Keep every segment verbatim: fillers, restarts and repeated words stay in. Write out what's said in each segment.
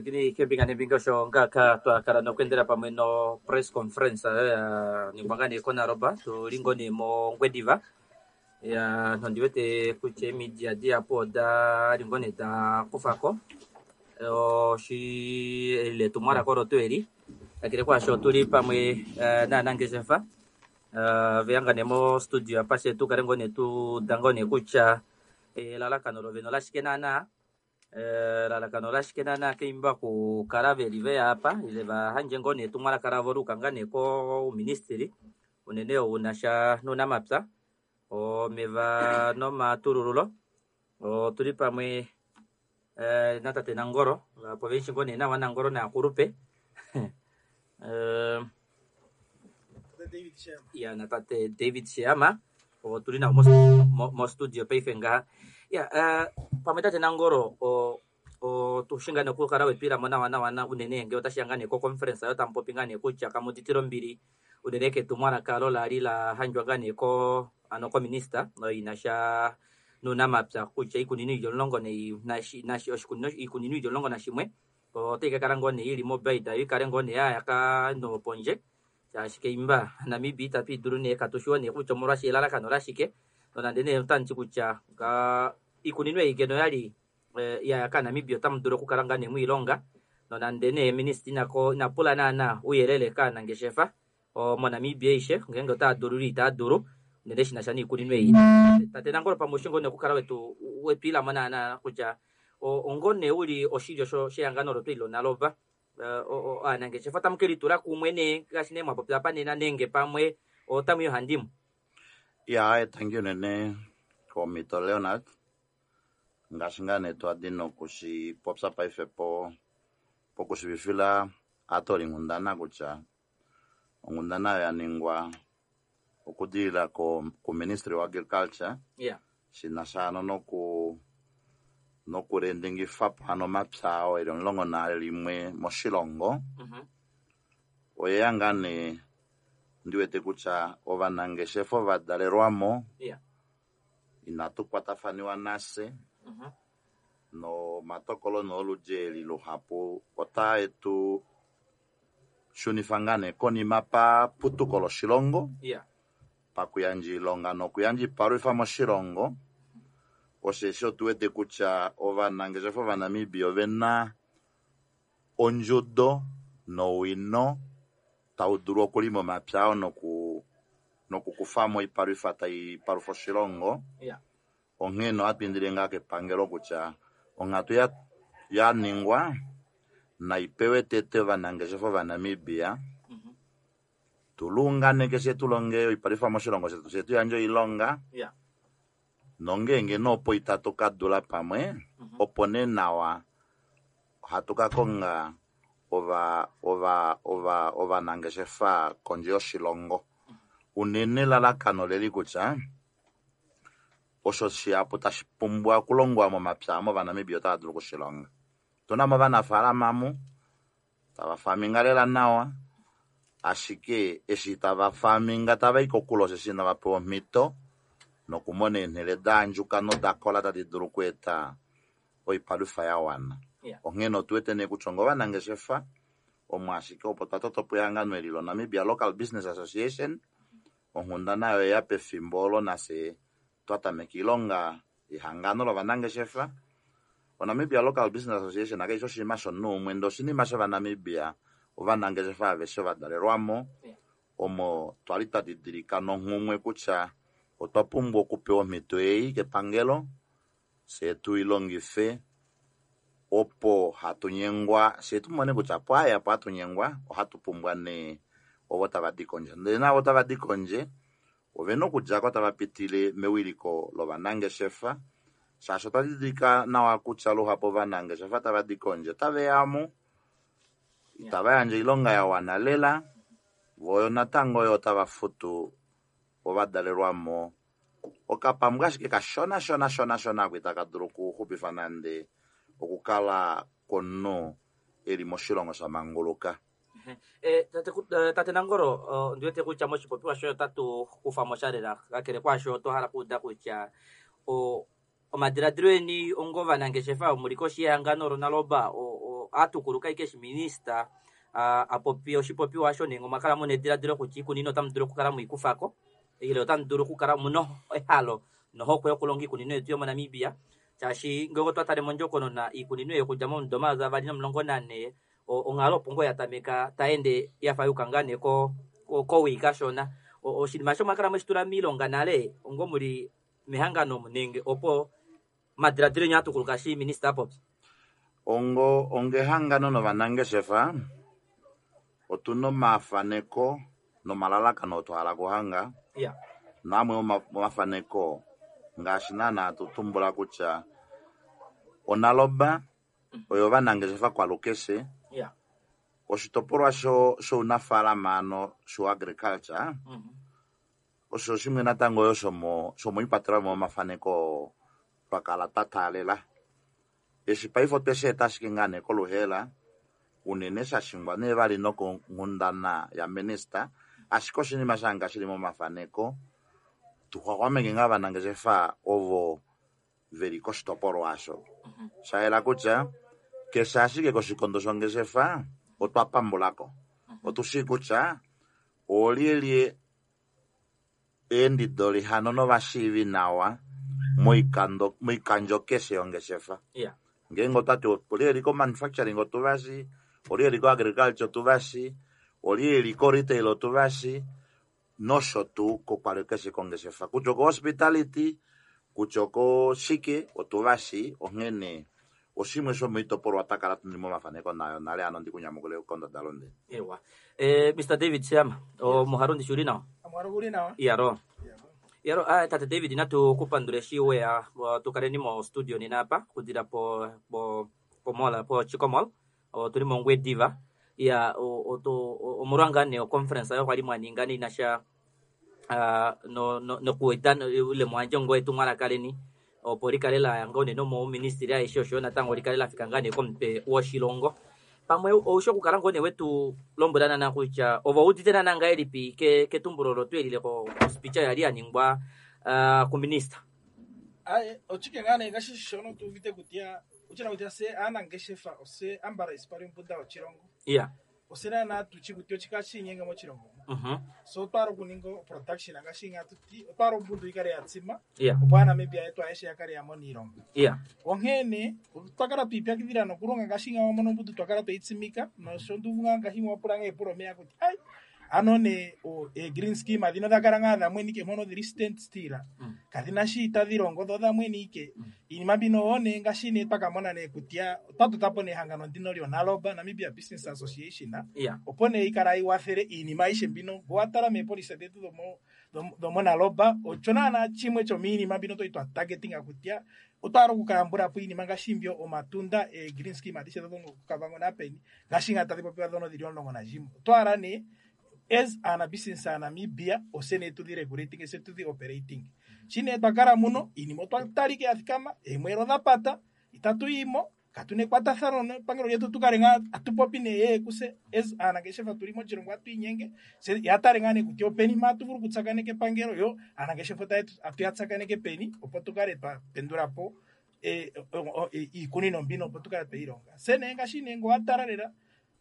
Pwilikini keembinga neembinga osho ngaaka twakala nokuendela pamwe no press conference oyo ya ningwa ngaa nee koNaloba, tuli ngoo nee mOngwediva. Ya nondi wete kutya eemidia dihapu odali ngoo nee dakufako oshi eli etumwalaka olo tuu eli. Kakele kwaasho otuli pamwe novanangeshefa veya ngaa nee mo studio apa fye tukale ngoo nee tuuda ngoo nee kutya elalakano lovene olashike naana, elalakano olashike naana keimba okukala veli veya apa ile vahandje ngoo nee etumwalaka lavo luuka ngaa nee kouministili unene ou unasha nounamapya, omeva nomatulululo. Otuli pamwe natate Nangolo, vahapu ovemushi ngoo nee nawa Nangolo naakulupe ya natate David Sheehama otuli navo mo studio paife ngaha. Ya pamwe tate Nangolo otushi ngaa nee okukala wetwiilamo nawa nawa unene ngee otashiya ngaa nee ko conference oyo tamupopi ngaa nee kutya kamuuditile ombili unene ketumwalaka olo lali lahandjwa ngaa nee ko ano kominista inasha nounamapya kutya iikunino ili omulongo oshikunino iikunino ili omulongo nashimwe otayi kakala ngoo nee ili mobaida yo ikale ngoo nee yayaka nopondje shaashi keimba Namibia itatu idulu nee katushiwo nee kutya omolwashike elalakano olashike nonande nee otamuti kutya iikunino ei ngeno oyali yaya kaNamibia otamu dulu okukala ngaa nee mwiilonga nonande nee minista inapula naana ouyelele kaanangeshefa moNamibia aishe ngeenge otaya dulu ile itaya dulu unene shinasha niikunino ei. Tate Nangolo pamwe oushi ngoo nee okukala wetu wetwiilamo naana kutya ongo nee uli oshilyo shehangano olo tuu eli loNaloba aanangeshefa otamu kelitula kumwe nee ngaashi nee mwapopya apa nena nenge pamwe otamu i ohandimwe. Ya tangi unene komhito Leonard, ngaashi ngaa nee twadi nokushipopya paife po pokushivifila aatolinghundana kutya onghundana oyo ya ningwa okudilila kuministry wa agriculture Yeah. shinasha hano noku nokulendingifa po hano omapya oo eli omulongo nalimwe moshilongo. Mhm. Oyeya ngaa nee ndiwete kutya ovanangeshefa ovadalelwamo Yeah. inatu kwatafaniwa nase Mhm. nomatokolo nooludji eli luhapu otae tu shunifa ngaa nee konima paputuko loshilongo Yeah. pakuyandja oilonga nokuyandja oipalwifa moshilongo. Osheshi otuwete kutya ovanangeshefa ovanamibia ovena ondjudo nowino tau dulu okulima omapya ao noku nokukufamo oipalwifa tai palufa oshilongo. Yeah. Onghee ohatu indile ngaa kepangelo kutya onghatu ya yaningwa naipewe tete ovanangeshefa ovanamibia Mhm. tulunganeke fye tulonge oipalwifa moshilongo shetu fye tuyandje oilonga Yeah. nongeenge nee opo itatu kadula pamwe Mhm. opo nee nawa ohatu ka konga ova ova ova ovanangeshefa kondje yoshilongo. Unene elalakano leli kutya osho shihapu tashi pumbwa okulongwa momapya movanamibia otava dulu okushilonga. Otuna mo ovanafaalama mu tava faminga lela nawa, ashike eshi tava faminga tava i kokule osheshi inava pewa omhito nokumona eenhele daandjuka nodakola tadi dulu okweeta oipalwifa ya wana. Yeah. Onghee otuwete nee kutya onga ovanangeshefa omo ashike opo twatoto po ehangano eli loNamibia Local Business Association. Onghundana oyo oyeya pefimbo olo nafye twatameka oilonga yehangano lovanangeshefa. ONamibia Local Business Association kaifi oshinima shomunhu umwe ndele oshinima shovanamibia ovanangeshefa aveshe ovadalelwamo Yeah. omo twali twa didilika nonghumwe kutya otwa pumbwa okupewa omhito ei kepangelo fye tuilongife opo hatu nyengwa fye tumone kutya opo aya opo hatu nyengwa ohatu pumbwa nee ovo tava di kondje. Ndele naavo tava di kondje ovena okudjako tava pitile mewiliko lovanangeshefa shaashi otwa didilika nawa kutya luhapu ovanangeshefa tava di kondje otaveya mu itava yandje oilonga ya wana lela voo natango yo otava futu ovadalelwamo okapambu ashike kashona shona shona shona ako itaka dulu okuxupifa nande okukala kwomunhu eli moshilongo sha manguluka. Eh, tate, tate Nangolo, ondiwete kutya moshipopiwa shoye otatu kufamo sha lela kakele kwaasho otwa hala okuuda kutya omadiladilo eni onga ovanangeshefa omuli koshi yehangano loNaloba atukuluka ike minista a popi oshipopiwa osho nenge omwa kala muna ediladilo kutya iikunino otamu dulu okukala mwiikufako ile otamu dulu okukala muna ehalo nohokwe yokulonga iikunino yetu yomoNamibia shaashi ngele otwa tale mondjokonona iikunino yokudja momudo omayovi avali nomulongo nane onghalo opo ngoo yatameka taende yafa yuka ngaa nee kowii kashona. Oshinima osho mwakala mweshitula miilonga nale ongo muli mehangano nenge opo madiladilo enya atukuluka shi minista apopi? Ongo ongehangano novanangeshefa otuna omafaneko nomalalakano twahala kuhanga. Yeah. Namwe omafaneko ngaashi naana tutumbula kutya onaloba oyo vanangeshefa kwalukeshe. Yeah. Oshitopolwa sho shounafaalama ano sho agriculture Mm -hmm. osho shimwe natango yo shomo shomoikwatelwa momafaneko twakala twa taalela. Eshi paife otweshi eta ashike ngaa nee koluheela unene shashingwa nee vali nokonghundana ya minista, ashike oshinima shanga shili momafaneko tuxwaxwameke ngaa ovanangeshefa ovo veli koshitopolwa osho. Shayela kutya keshe ashike koshikondo shongeshefa otwa pambulako. Otushii kutya oolyelye eendidoli hano novashiivi nawa moikando moikandjo keshe yongeshefa. Yeah. Ngeenge otwati olyeli ko manufacturing otuvashi, olyeli ko agriculture otuvashi, olyeli ko retail otuvashi, nosho tuu kokwali keshe kongeshefa. Kutya oko hospitality, kutya oko shike otuvashi, onghene oshimwe shomoitopolwa twakala tuli momafaneko nayo nale ano ndikunyamukule kondadalunde. Ewa. Eh, Mister David Sheehama, omuhalo ndishi uli nawa? Omuhalo uli nawa. Iyalo. Iyalo, ah, tate David natu kupandule eshi weya tukaleni mo studio nena apa kudila po po po mall po Chicco Mall otuli mOngwediva. Ya omolwa ngaa nee oconference oyo kwali mwaninga inasha no no nokueta ile mwandje ngo etumwalaka leni opo likale laya ngoo nee nomouministili aishe oshoyo natango likale lafika ngaa nee komutwe woshilongo. Pamwe oushi okukala ngoo nee wetu lombwela naana kutya ove oudite naana ngahelipi ketumbulo olo twelile ko speech yali yaningwa kuminista? Aye, ochike ngaa nee ngashi shono tuuvite kutya uchina kutya se aanangeshefa ose ambala isipali ombunda yoshilongo. Yeah. Ose naana tuchi kutya ochika shiinyenga moshilongo. Mhm. So otwala okuninga production ngaashi nga tuti otwala ombundu ikale ya tsima. Yeah. Opo aaNamibia yetu ayehe ya kale ya mona iilonga. Yeah. Onkene otwa kala twiipyakidhila nokulonga ngaashi nga wamona ombundu twakala tweyi tsimika nosho nduvu ngaa ngaashi mwapula nga epulo omeya kutya ai ano ne o e green scheme dhino dhakala ngaa dhamweni ike mpono dhili stand still. Mm. Kadhina shi tadhi longo dho dhamweni ike. Mm. Iinima mbino one ngaashi ne twakamona ne kutya otwa totapo nehangano ndino lyoNaloba Namibia Business Association. Yeah. Opo ne ikala iwathele iinima ayihe mbino ngowatala meepolisi dhetu dhomo dhomo Naloba osho naana chimwe chomiinima mbino toi twa targetinga kutya otwala okukayambulapo iinima ngaashi mbyo omatunda e green scheme adhihe dho koKavango napeni ngaashi nga tadhi popiwa dhono dhili omulongo nashimwe. Otwala ne as ana business a Namibia ose ne tudhi regulating ose tudhi operating. Shine twakala muno iinima otwa talike ya thikama eemwelo dha pata itatu yimo katuna ekwatathano nepangelo lyetu tukale ngaa atupopi ne ye kuse as aanangeshefa tuli moshilongo atu inyenge se yatale ngaa nee kutya openi mpa atu vulu okutsakaneka epangelo yo aanangeshefa atu ya tsakaneke peni opo tukale twa pendulapo iikunino mbino opo tukale tweyi longa. Se nee ngaashi nee ngowatala lela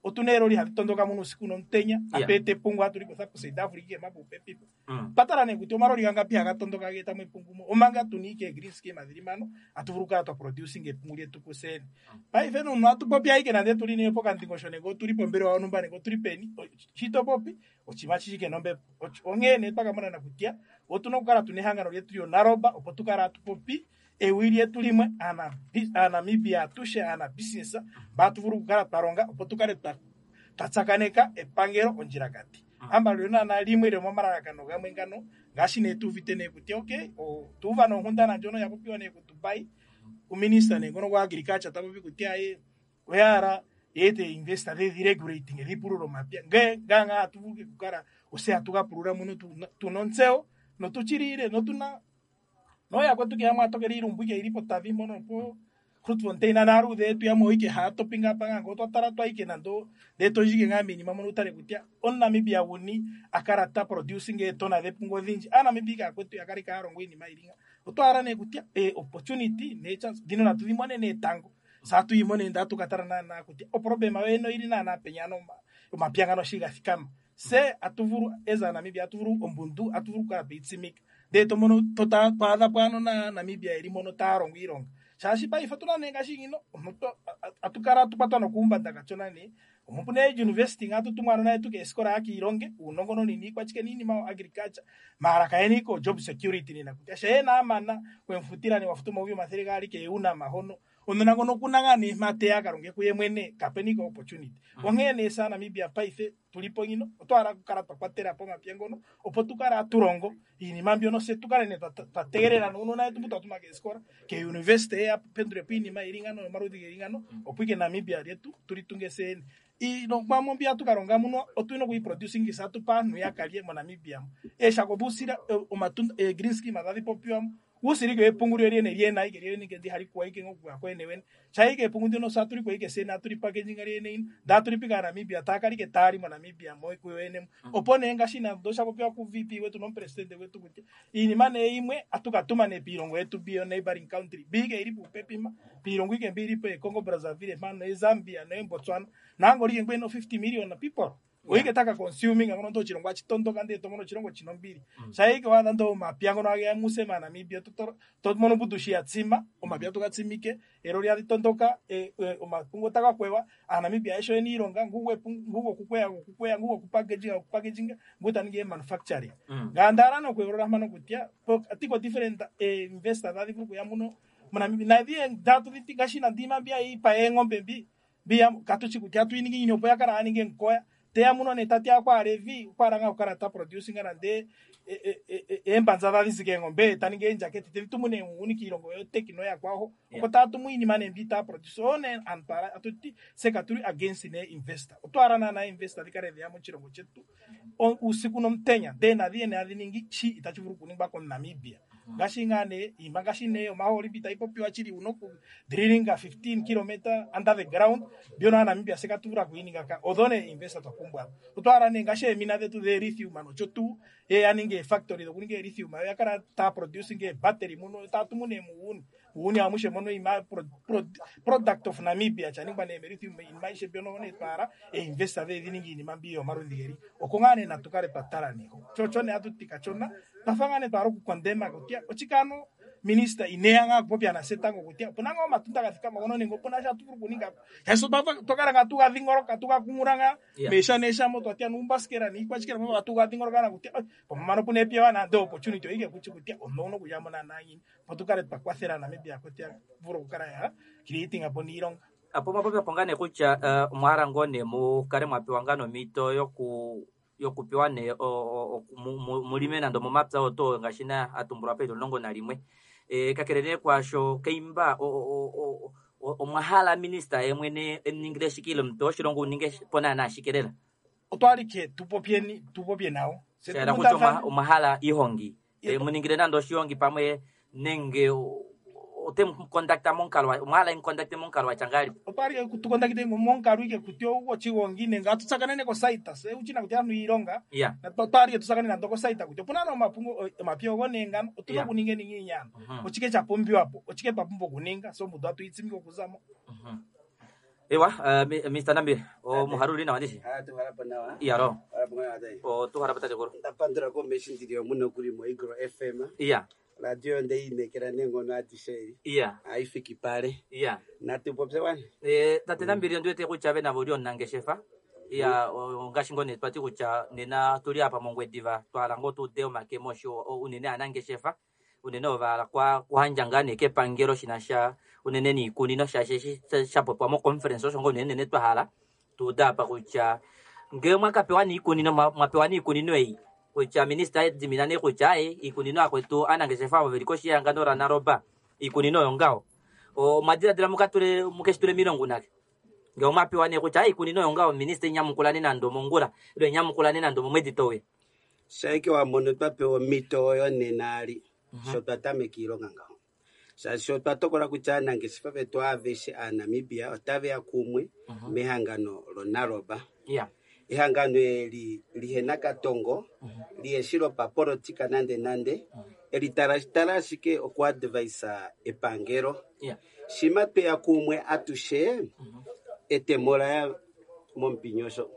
otuna eeloli hadhi tondoka muno usiku nomutenya atu eta epungu atu li kutha ku South Africa emapupepi. Mm. Patala nee kutya omaloli gangapi haga tondoka geeta mo epungu mo omanga tuna ike green scheme dhili mpano atu vulu okukala twa producing epungu lyetu kusene. Paife nomuntu atu popi ashike nande tuli nee pokandingosho nenge otuli pombelewa yontumba nenge otuli peni shi to popi oshinima shishike nombepo. Onkene nee twakamona kutya otuna okukala tuna ehangano lyetu lyoNaloba opo tukale atu popi ewi lyetu limwe aaNamibia atushe aanabusiness mba atu vulu okukala twa longa opo tukale twa tsakaneka epangelo ondjilakati. Ambala olyo naana limwe lyomomalalakano gamwe ngano ngaashi nee tuuvite nee kutya okay otuuva nonkundana ndjono ya popiwa nee kuDubai kuminista nee ngono gwa agriculture ta popi kutya ye oyahala yeete investor dhedhi regulating dhipulule omapya nge ngaa atu vulu okukala ose atu ga pulula muno tuna ontseyo notuchilile notuna noyakwetu ke yamwe atokele iilumbu ike ili potavi mpono po Grootfontein naaluudhe yetu yamwe ike haya topinga apa ngaa otwa tala twa ike nando ndee toyike ngaa miinima mono utale kutya omuNamibia guni akala ta producing eetona dhepungu odhindji. AaNamibia ike akwetu yakale kaya longo iinima yili nga. Otwa hala nee kutya e opportunity nee chance dhino natu dhi mone nee tango. Sa atu yimo nee ndee atu katala naana kutya oproblema yoyene oili naana penya omapya ngano shi gathikama. Se atu vulu as a Namibia atu vulu ombundu atu vulu okukala tweyitsimika ndee tomono twaadha po aanona Namibia yeli mono taya longo iilonga shaashi paife otuna nee ngaashi ngino atu kala atukwatwa nokuumbanda kachona nee omupu nee university nga atutumwa aanona yetu keesikola yakiilonge uunongononi niikwachike niinima agriculture maala kayena ike job security nena kutya she amana wemufutila nee wafuta omayovi omathele gaali keunama hono omunona ngono okuna ngaa nee mpa teya akalonge kuye mwene kapena ike opportunity. Onghee nee sa Namibia paife tulipo ngino otwahala okukala twakwatela po omapya ngono opo tukale atulongo iinima mbyono se tukale nee twategelela nuunona wetu mbu twatuma keesikola ke university yapendulepo iinima ili ngano yomaludhi geli ngano opo ike Namibia lyetu tulitunge seene. Iilongwamo mbi atukalonga muno otuna okuyiproducingisa atupa aantu yakalye moNamibia mu. Eeshako dhuusila omatunda green scheme tadhi popiwamo uusila ike wepungu lyene lyena ike lyene ike ndi halikuwa ike ngokuya kwene wene sha ike epungu ndino satuli ike sene atuli packaging lyene ino ndatuli pika Namibia takalike tali moNamibia mo kuyene opo nee ngaashi nando osha popiwa ku V P wetu nomupresidente wetu kutya iinima nee imwe atukatuma nee piilongo yetu biyo neighboring country biike ili pupepi ma piilongo ike mbi ilipo Congo Brazzaville mpano Zambia ne Botswana nango like ngweno fifty million people oike taka consuming ngono ndo chilongo achitondoka ndi tomono chilongo chinombili mm. Saike wadha ndo mapya ngono age muse ma Namibia to to mono budushi yatsima omapya tukatsimike ero lya litondoka e, e, omapungo taka kwewa a Namibia esho eni ilonga nguwe ngugo kukwea kukwea ngugo kupackaging kupackaging nguta ninge manufacturing mm. Ngandara no kweorora mano kutia atiko different eh, investor dhadi vuru kuya muno mona na dhie datu dhiti ndima bia ipa engombe mbi bia katuchi kutia tuiningi ni opo yakara aninge nkoya teya muno ne tati akwa revi kwaranga okara ta producing nande embanza dhadhi engombe taninge enjaketi tevitumune uni kiilongo yo tekino yakwaho oko tatumu iinima ne mbi ta produce one antwara atuti seka tuli against ne investor otwara na na investor dhikale dheya mochilongo chetu usiku nomutenya de nadhi ene adhi chi itachi vulu kuningwa ko Namibia ngaashi ngaa nee iima ngaashi nee omahooli mbi tayi popiwa chili uno ku drilling fifteen kilometer under the ground mbyono aaNamibia se katuvula kuyininga ka odho nee investor twapumbwa otwahala nee ngaashi eemina dhetu dhe lithium nocho tuu ye yaninga eefactory dhokuninga elithium yo yakala taa producing eebattery muno tatumu nee muuni uuni amushe mono ima pro, pro, product of Namibia chaningwa nee lithium iinima aishe mbyono nee twala einvestor dhedhi iinima mbi yomaludhi geli oko ngaa nee natukale twatala neho chocho nee atuti kachona twafa ngaa nee twala okukondema kutya ochikano minister ineya nga kupopya na setango kutya opuna nga omatunda gathikama ngono nenge opuna sha atuvulu okuninga shaashi twakala nga tugadhingoloka tugakumulanga mesha neshamo twatya nuumbasikela niikwachikela mo atugadhingoloka na kutya pomamano puna epya nande opportunity oike kuchi kutya omuntu uno kuyamo naana ngini opo tukale twakwathela Namibia kutya vulu okukala ya creating apo niilonga. Apo mwapopya po ngaa nee kutya omwa hala ngoo nee mukale mwapewa ngaa nomito yoku yokupewa nee mulime nando momapya oto ngaashi na atumbulwa peili omulongo nalimwe. E, kakele nee kwaasho keimba omwa hala minista ye mwene emuningile shike ile omupe woshilongo uninge po naana shike lela otwalike tupopyeni tupopye nawo shaela kutya omwa hala iihongi muningile nando oshihongi pamwe nenge otemukondakta momukalo omwa hala emukondakte momukalo watya ngahelipi otwalike tukondakte momukalo ike kutya ochigongi nenge atutsakanene kosaita se uchina kutya anhu iilonga otwalike tutsakanene nando kosaita kutya opuna nee omapungu omapya ogo nengano otuna okuninga eningi iinyano ochike chapumbiwapo ochike twapumbwa okuninga so omundu atuyitsimike okuzamo. Ewa Mister Nambi omuhaluli nawa ndishi iyalo otuhala po tatekulu ndapandula komeshi ndili omuno kuli mo Igro F M iya radio ndeyinekela nengono adishe iya haifiki pale iya natupopye wani e tate Nambili ondiwete kutya ve navo oli omunangeshefa iya ngaashi ngoo nee twati kutya nena tuli apa mOngwediva twahala ngoo tuude omakemo osho unene aanangeshefa unene ovahala kuhandja ngaa nee kepangelo shinasha unene niikunino shaashi shapopiwa moconference osho ngoo unene nene twahala tuude apa kutya ngee mwakapewa niikunino mwapewa niikunino ei kutya minista edimina nee kutya aye iikunino akwetu aanangeshefa avo veli koshi yehangano laNaroba iikunino oyo ngaho omwadiladila mukatule mukeshitule miilongo unake ngee omwapewa nee kutya iikunino oyo ngaho minista inyamukulane nando mongula ile inyamukulane nando momwedi towe shaike wamono twapewa omito oyo nena ali sho twatameka iilonga ngaho shaashi otwatokola kutya aanangeshefa vetu aveshe aaNamibia otaveya kumwe mehangano loNaroba iya ehangano eli lihena katongo liheshi lopapolitika nande nande Eli tala tala ashike okuadvisa epangelo. Yeah. Shima tweya kumwe atushe etemo laya momupinyosho.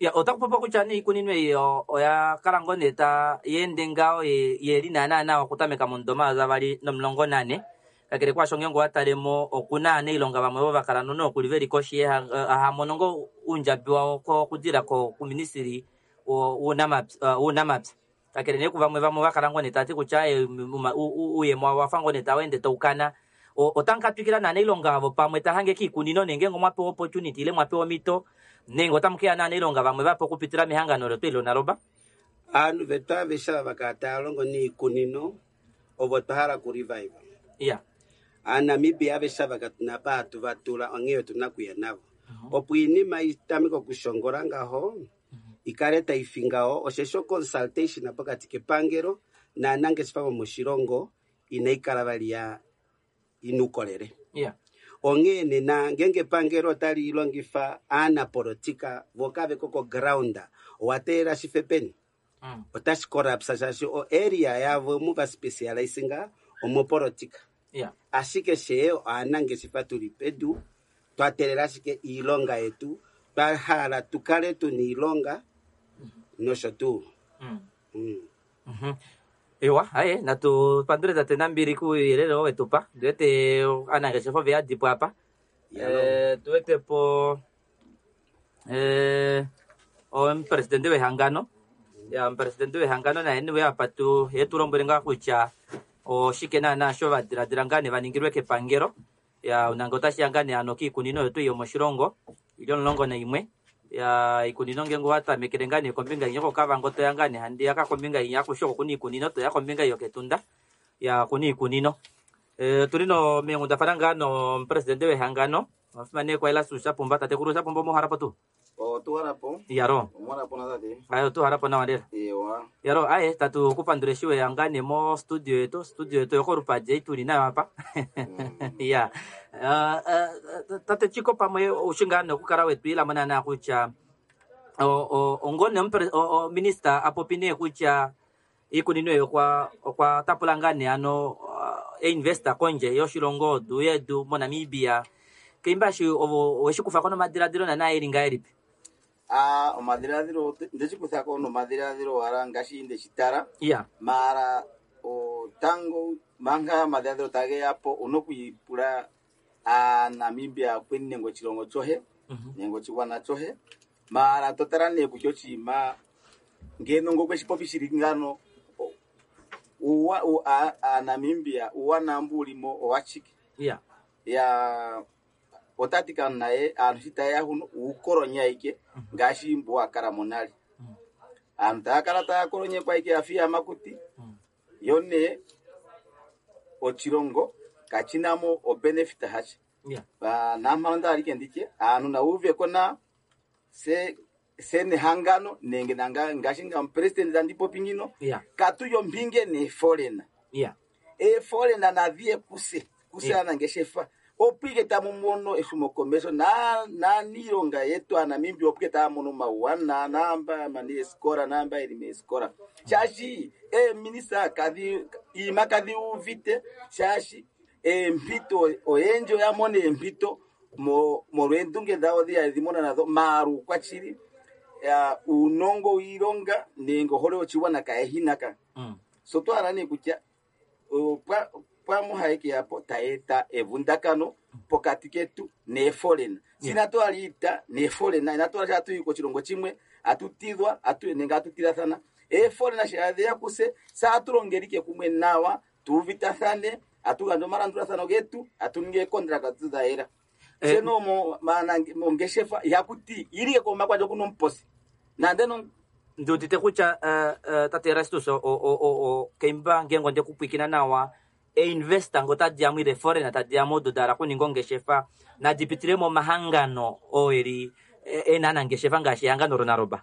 Ya, otaku popiwa kutya nee iikunino ei o- oya kala ngoo nee ta yeende ngaho ye ye li naana nawa okutameka momudo avali nomulongo nane. Kakele kwaasho ngeenge owa talemo okuna aanailonga vamwe ovo va kala nokuli veli koshi yeha- eh, hamono ngoo uundjabi wawo okudila kuministili wounamapya wounamapya. Kakele nee kuvamwe vamwe va kala ngoo nee tava ti kutya eh, uuyemo wawo owafa ngoo nee tau ende taukana. Otamu ka twikila naanailonga avo pamwe tahange kiikunino nenge ngenge omwa pewa opportunity ile mwa pewa omhito nenge otamu keya naanailonga vamwe vape okupitila mehangano letu eli loNaloba. Aanhu vetu aveshe ava vakala tava longo niikunino ovo twa hala ku revive. Yeah. Aanamibia aveshe ava katuna pa hatu va tula onghee otuna okuya navo. Opo iinima itameke okushongola ngaho ikale taifi ngaho osheshi consultation pokati kepangelo naanangeshefa vomoshilongo inai kala vali ya ina uukolele. Yeah. Onghee nena ngenge epangelo otali longifa aanapolitika vo kave ko ko ground owa teelela shife peni Mm. otashi collapse shaashi o area yavo muva specializinga omopolitika. Yeah. Ashike she aanangeshefa tuli pedu twa teelela ashike iilonga yetu twa hala tukale tuna iilonga nosho tuu. Mm. Mm. Mhm. Ewa, aye natu pandule tate Nambili kuuyelele oo wetupa. Ndiwete aanangeshefa ove yadipo apa. Yalo. Eh, tuwete po eh, omupresidente wehangano. Ya, omupresidente wehangano naye niwe apa tu ye tu lombwele ngaa kutya oshike naana sho va diladila ngaa nee va ningilwe kepangelo. Ya, unange otashi ya ngaa nee ano kiikunino yetu yomoshilongo ili omulongo naimwe. Ya, iikunino ngenge owa tamekele ngaa nee kombinga inya koKavango toya ngaa nee handiyaka kombinga inya akushe oko kuna iikunino toya kombinga yokEtunda. Ya, okuna iikunino. Eh, tuli no meenghundafana ngaa nomupresidente wehangano omufimanekwa Erastus Shapumba. Tatekulu Shapumba omuhalapo tuu? Otuhalapo. Yaro. Omuhalapo na tate. Aye otuhalapo nawa lela. Ewa. Yaro, aye tatu kupandula eshi weya ngaa nee mo studio yetu, studio yetu yokolupadje tuli nayo apa. Ya. Uh, uh, tate Chiko pamwe oushi ngaa nee okukala wetwiilamo naana kutya ongone minista apopi nee kutya iikunino eyi okwa okwa tapula ngaa nee ano einvesta kondje yoshilongo du yedu moNamibia. Keimbashi ovo oweshi kufako nomadiladilo naana eli ngahelipi? Ah, omadhiladhilo ndeshi kuthako nomadhiladhilo wala ngaashi ndeshi tala. Yeah. Mara otango manga omadhiladhilo tage yapo una okwiipula aaNamibia kweni nenge oshilongo chohe nenge oshigwana chohe. Mara totala nee kutya oshinima ngeno ngokweshi popi shili ngano uwa aaNamibia uuwanawa mbu ulimo owashike. Yeah. Ya otati ka naye aantu shi taye ya huno uukolonya ike ngaashi mbu wa kala monale. Aantu taya kala taya kolonyekwa ike yafa iiyamakuti yo nee oshilongo kachinamo o benefit hasha. Yeah. Nampano ndali ike nditye aantu na uveko na se se nehangano nenge nanga ngaashi nga omupresident tandi popi ngino Yeah. katuyo mpinge neeforeigner. Yeah. Eeforeigner nadhiye kuse kuse Yeah. aanangeshefa opo ike tamu mono ehumokomeho na naaniilonga yetu aaNamibia opo ike taya mono omauwanawa naamba mani eesikola naamba yeli meesikola shaashi eeminista kadhi iima kadhi uvite shaashi eempito oyendji oya mona eempito mo molweendunge dhawo dhiya dhi mona nadho maala uukwashili uunongo wiilonga nenge ohole yoshigwana kayehinaka. Mm. So twahala nee kutya pwamuhaike yapo tayeeta evundakano pokati ketu neeforeigner. Sina twaliita neeforeigner inatwala sha tuyi koshilongo chimwe atutidhwa atu nenge atutilathana. Eeforeigner shi adhiya kuse saatulongelike kumwe nawa tuuvitathane atugandje omalandulathano getu atuninge eekontraka dhayela. Eh, Seno mo mongeshefa ihakuti ilike komakwandja okuna omuposi nande no ndiudite kutya uh, uh, tate Erastus o, o, o, o, keimba ngenge onde kupwikina nawa einvesta ngo tadiyamo ile foreigner tadiyamo odo dahala kuninga ongeshefa nadi pitile momahangano oo eli ena anangeshefa ngaashi ehangano loNaloba.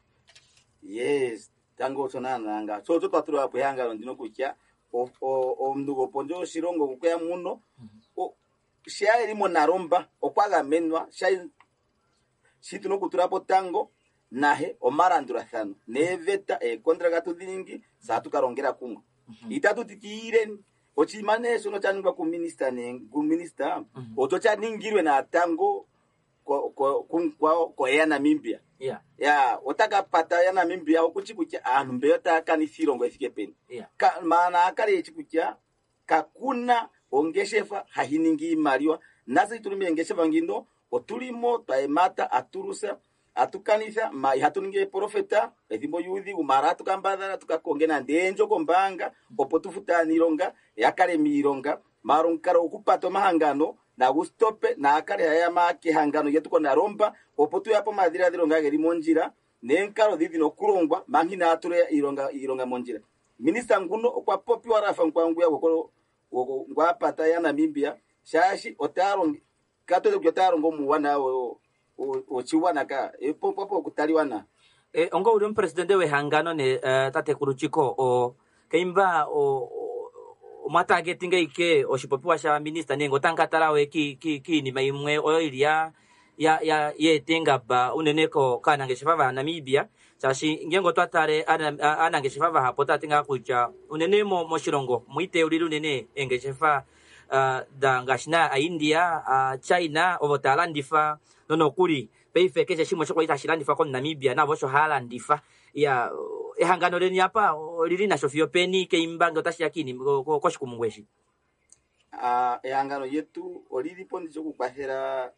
Yes, tango osho naana nga so otwo twatulwa po ehangano ndino kutya omuntu gopondje yoshilongo okweya muno sha eli moNalomba okwa gamenwa sha shi tuna okutula po tango nahe omalandulathano neeveta eekontraka tudhi ningi saa tuka longela kumwe. Itatu tikiireni oshinima nee shono sha ningwa kuminista ne kuminista oto sha ningilwe natango ko ko ko ko ya Namibia. Yeah. Ya otaka pata ya Namibia okuchi kutya aantu mbeyo taya kanitha iilongo ethike peni. Yeah. Ka, maana akale echi kutya kakuna ongeshefa hayi ningi iimaliwa nase tuli meengeshefa ngino otulimo twaemata aturusa atukanitha ma ihatu ningi eprofeta ethimbo lyuudhigu mara atukambadhala tukakonge nande eendjo kombaanga opo tufute aaniilonga yakale miilonga mara omukalo gokupata omahangano nagu stope naakale hayama kehangano lyetu konalomba opo tuyapo omadhiladhilo nga geli mondjila neenkalo dhi dhina okulongwa manga inaa tula iilonga iilonga mondjila. Minista nguno okwa popiwa rafa nkwanguya gwoko ngwapata ya Namibia shaashi otaya katoze kutya otaya longo muuwanawa woshigwana ka popo okutaliwa na E, onga uli omupresidente wehangano ne uh, tatekulu Chicco o keimba o omwa targetinga ike oshipopiwa sha minista nenge otamu we ki ki kiinima imwe oyo ili ya ya ya yeeta engaba unene ko kaanangeshefa va Namibia shaashi ngenge otwa tale aanangeshefa vahapu otaya ti ngaa kutya unene mo moshilongo mwiiteulile unene eengeshefa uh, da ngaashi na aIndia uh, China ovo taya landifa nonokuli paife keshe shimwe shokwali tashi landifwa komuNamibia navo osho haya landifa. Ya ehangano leni apa olili nasho fiyo peni keimba nge otashi ya kiinima koshikumungu eshi. Ah, ehangano lyetu olili po nditya okukwathela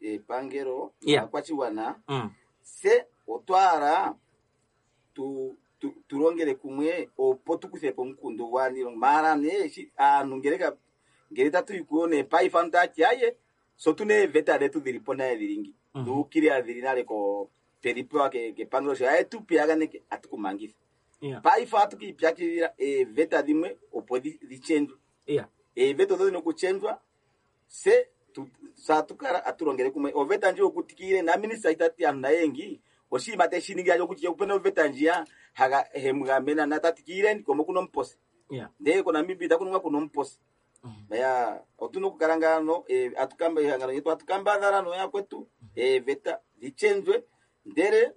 epangelo Yeah. naakwashigwana Mm. se otwahala tu tu tulongele kumwe opo tukuthepo omukundu gwaaniilonga maala nee shi aantu ngele ka ngele tatu yi kuyo nee paife aantu taya ti aye so tuna eeveta dhetu dhili po naye dhilingi Mhm. dhuukilila dhili nale ko twedhi pewa ke- kepangelo sho aye tu piyaganeke atukumangitha Yeah. paife ohatu kiipyakidhila eeveta dhimwe opo dhi dhi chendjwe Yeah. eeveta odho dhina okuchendjwa se tu- satukala atulongele kumwe oveta ndji yokutikile na minista itati aantu nayengi oshinima teshi ningi ajo kutya opena oveta ndjiya haga hemugamena natatikileni komo kuno omupose Yeah. ndee koNamibia itaku kuno omupose Mhm. ya otuna okukala ngano eh, atukamba ehangano lyetu atukambadhala noyakwetu eeveta dhichendjwe ndele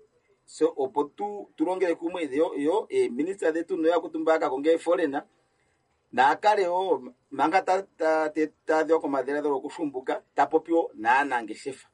so opo tu tulongele kumwe yo yo eeminista dhetu noyakwetu mba kakonge foreigner naakale wo manga tadhiwa komadhiladhilo gokushumbuka tapopiwo naanangeshefa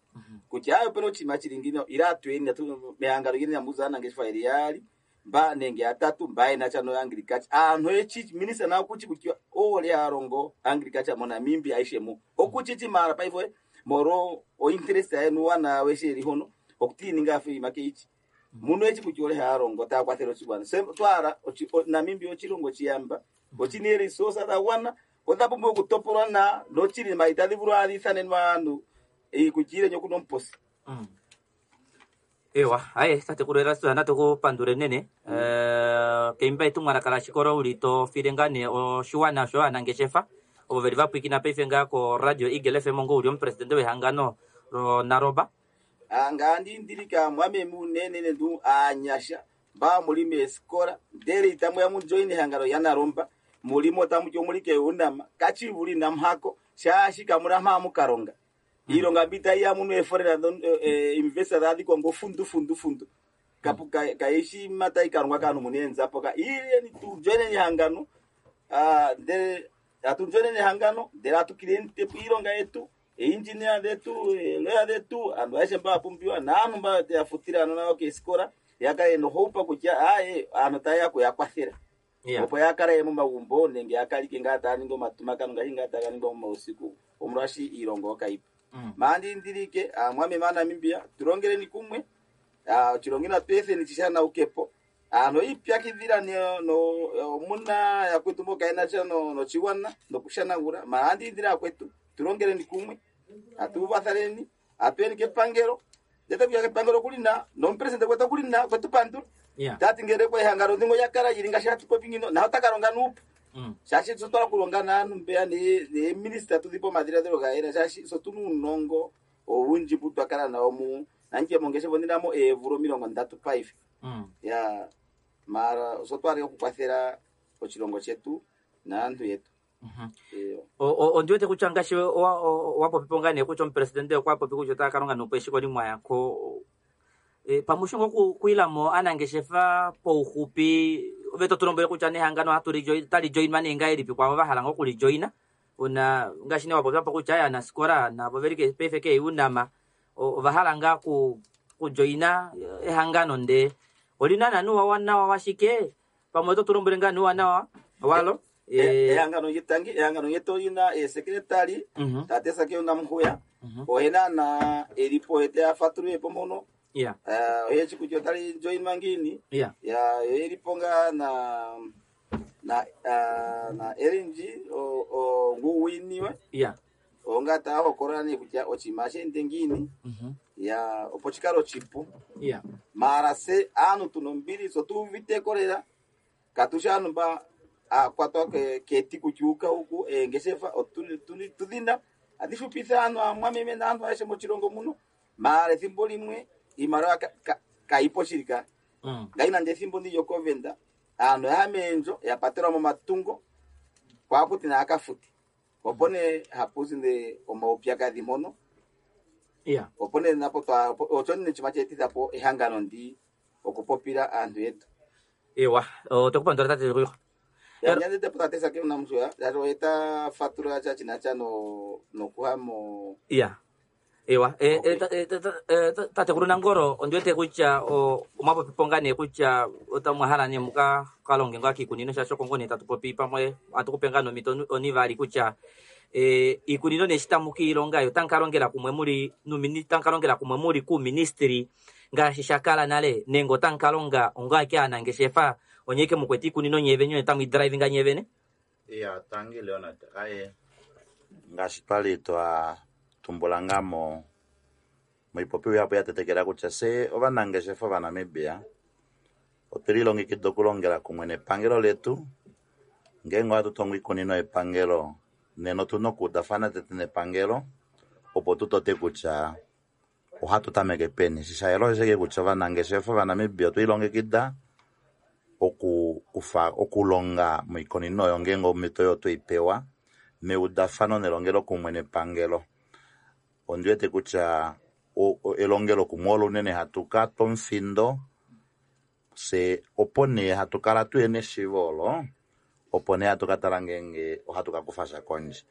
kutya ayo opena oshinima shili ngino ila atueni mehangano lyeni namuza aanangeshefa yeli yaali mba nenge yatatu mba yena sha no agriculture aantu echi minista nawo kuchi kutya ole alongo agriculture moNamibia aishe mu okuchichi mara paife moro o interest yenu wana weshe eri hono okutininga afe imake ichi muno echi kutya ole alongo takwathela oshigwana se twara ochi- o- Namibia ochilongo chiyamba ochina eresource dhagwana odha pumbwa okutopolwa na nochilima itadhi vulu adhiithanenwa aantu ikutyile nyokuno omuposi. Mm. Ewa, aye tatekulu Erastus natukupandule nene eh keimba etumwalaka la shikolo uli to file ngaa nee oshiwana sho aanangeshefa ovo veli vapwikina paife ngaa ko radio Eagle F M ngo uli omupresidente wehangano loNaroba. Ngandi ndilika mwame munene ndu aanyasha mba muli meesikola ndele itamu ya mujoin ehangano ya Naromba mulimo tamu mulike unama kachivuli namhako shaashi kamuna mhamukalonga iilonga mbi tayi ya muno eeforena investor dhadhikwa ngo fundu fundu fundu kapu ka- kaishi mata ikalongwa kaanhu muna eenzapo ka ileni tujoineni ehangano ah, ndele atujoineni ehangano ndele atukileni tepo iilonga yetu eengineer dhetu eeloya dhetu anhu aeshe mba apumbiwa naanhu mba yafutile anona nao keesikola yakale nohoupa kutya aye aanhu tayeya kuyakwathela Yeah. opo yakale momagumbo nenge yakalike ngaa taya ningi omatumakano ngaashi ngaa taga ningwa momausiku omolwashi iilonga okayipa. Mm. Maandindilike aamwameme aaNamibia tulongeleni kumwe ah, oshilongo inatu etheni shishanaukepo aantu ipyakidhila no no- omuna yakwetu mboka yena sha no- noshigwana nokushanagula maandindile akwetu tulongeleni kumwe atuuvathaneni atuyeni kepangelo ndete kuya kepangelo kulina nomupresidente gwetu okulina kwetupandula Yeah. tati ngele kwa ehangano ndingo yakala yili ngaashi hatu popi ngino naho takalonga nuupu Mm. shaashi sotwala kulonga naanhu mbeya neeminista tudhipe omadhiladhilo gayela shaashi sotuna uunongo owundji mbu twakala nawo mu nandje mongeshefa ondinamo eevula omilongo ndatu paife Mm. ya mara sotwala okukwathela oshilongo shetu naantu yetu. Mhm. Eyo. O- o- ondi wete kutya ngaashi wa- wa- wapopipo ngaa nee kutya omupresidente okwa popi kutya otaya kalonga nuupu eshiko limwe yako e, pamushingo okukwilamo aanangeshefa pouxupi Ove to tu lombwele kutya nehangano ohatu li join tali joinwa nee ngahelipi kwaavo va hala ngoo okulijoina una ngaashi nee wapopya po kutya aanafikola navo veli paife keeUNAM ova hala ngaa ku kujoina ehangano ndee olina nani ouwanawa washike pamwe oto tu lombwele ngaa nuuwanawa walo ehangano lyetangi ehangano lyetu olina esekretari tate Sakeo Namhuya oye naana elipo ye teya fatulule po mpono yeah oye shi kutya otali joinwa ngiini yeah ya yo elipo ngaa na na na Erinji nguwiniwe yeah onga taya hokolola nee kutya oshinima sheende ngiini ya opo shikale oshipu yeah maala se aantu tuna ombili so tu uviteko lela katushi aantu mba akwatwa keti kutya uka huku eengeshefa otudhina adhi xupitha aantu aamwameme naantu ayehe moshilongo muno maala ethimbo limwe iimaliwa kayipo shili ka mm. ngai nande ethimbo ndi lyokovenda aantu yaya meendjo ya patelwa momatungo kwaakuti naakafuti opo nee hapuzi nde omaupyakadhi mpono yeah opo nee napo twa osho nee chima cheetithapo ehangano ndi okupopila aantu yetu ewa otekupandula tate Ruro yanyandete po tate Sakeo Namhuya yalo eta fatula cha chinacha no nokuha mo yeah ewa e, Okay. e, ta- e, ta- ta- e, ta- tatekulu Nangolo ondiwete kutya omwapopipo ngaa nee kutya otamwahala nee muka kalonge ngaa kiikunino shaashi oko nee tatu popi pamwe atukupe ngaa nomito onivali kutya e, iikunino nee shi tamu kiilonga yo otamu kalongela kumwe muli numini tamu kalongela kumwe muli kuuministry ngaashi sha kala nale nenge otamu kalonga ongaake aanangeshefa onye ike mukwete iikunino nyevene onye tamu idrivinga nyevene iya tangi Leonard aye ngaashi twali twa tumbula ngaa mo moipopiwa yapo ya tetekela kutya se ovanangeshefa ovanamibia otwe lilongekida okulongela kumwe nepangelo letu ngeenge ohatu tongo iikunino yepangelo nena otuna okuudafana tete nepangelo opo tutote kutya ohatu tameke peni shishayela osheke kutya ovanangeshefa ovanamibia otwe lilongekida okukufa okulonga moikunino oyo ngeenge omhito oyo tweipewa meudafano nelongelo kumwe nepangelo ondiwete kutya elongelo kumwe olo unene hatu ka twa omufindo se opo nee hatu kala tuyena eshiivo olo opo nee hatu katala ngeenge ohatu kakufa sha kondje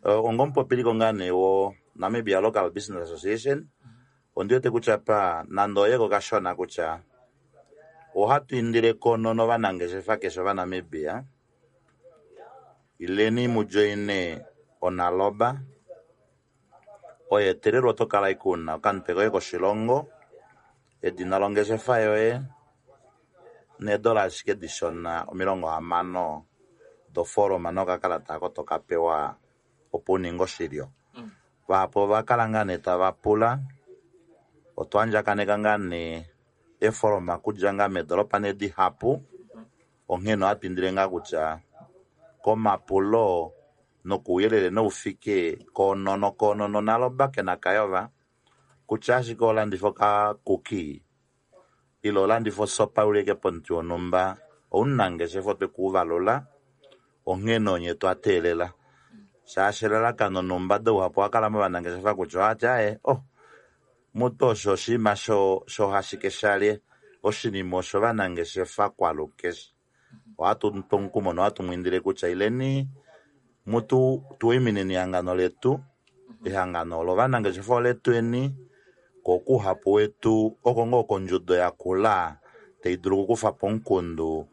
onga omupopiliko ngaa nee wo Namibia Local Business Association ondiwete kutya pa nande oyeko kashona kutya ohatu indile kono novanangeshefa keshe ovanamibia ileni mujoine onaloba oyo etelelwa oto kala ike una okamutwe koye koshilongo edina longeshefa yoye needola ashike dishona omilongo hamano dofoloma nokakalata ako toka pewa opo uninge oshilyo vahapu ovakala ngaa nee tava pula otwa andjakaneka ngaa nee efoloma okudja ngaa meedoropa nee dihapu onghene ohatu indile ngaa kutya komapulo nokuuyelele noufike koonono koonono naloba kena kayova kutya ashike olandifa okakuki ile olandifa osopa ulike pomuti wonhumba omunangeshefa otwe kuuvalula onghene onye twa teelela shaashi elalakano noumbada uhapu owakala movanangeshefa kutya ohati aye oh mutu osho oshinima sho hashike shalye oshinima osho ovanangeshefa kwalukeshe ohatu mupe omukumo nohatu mwiindile kutya ileni mutu tuwimineni ehangano letu ehangano olo ovanangeshefa oletweni ko kuhapu wetu oko ngoo kondjudo yakula tai dulu okukufapo omukundu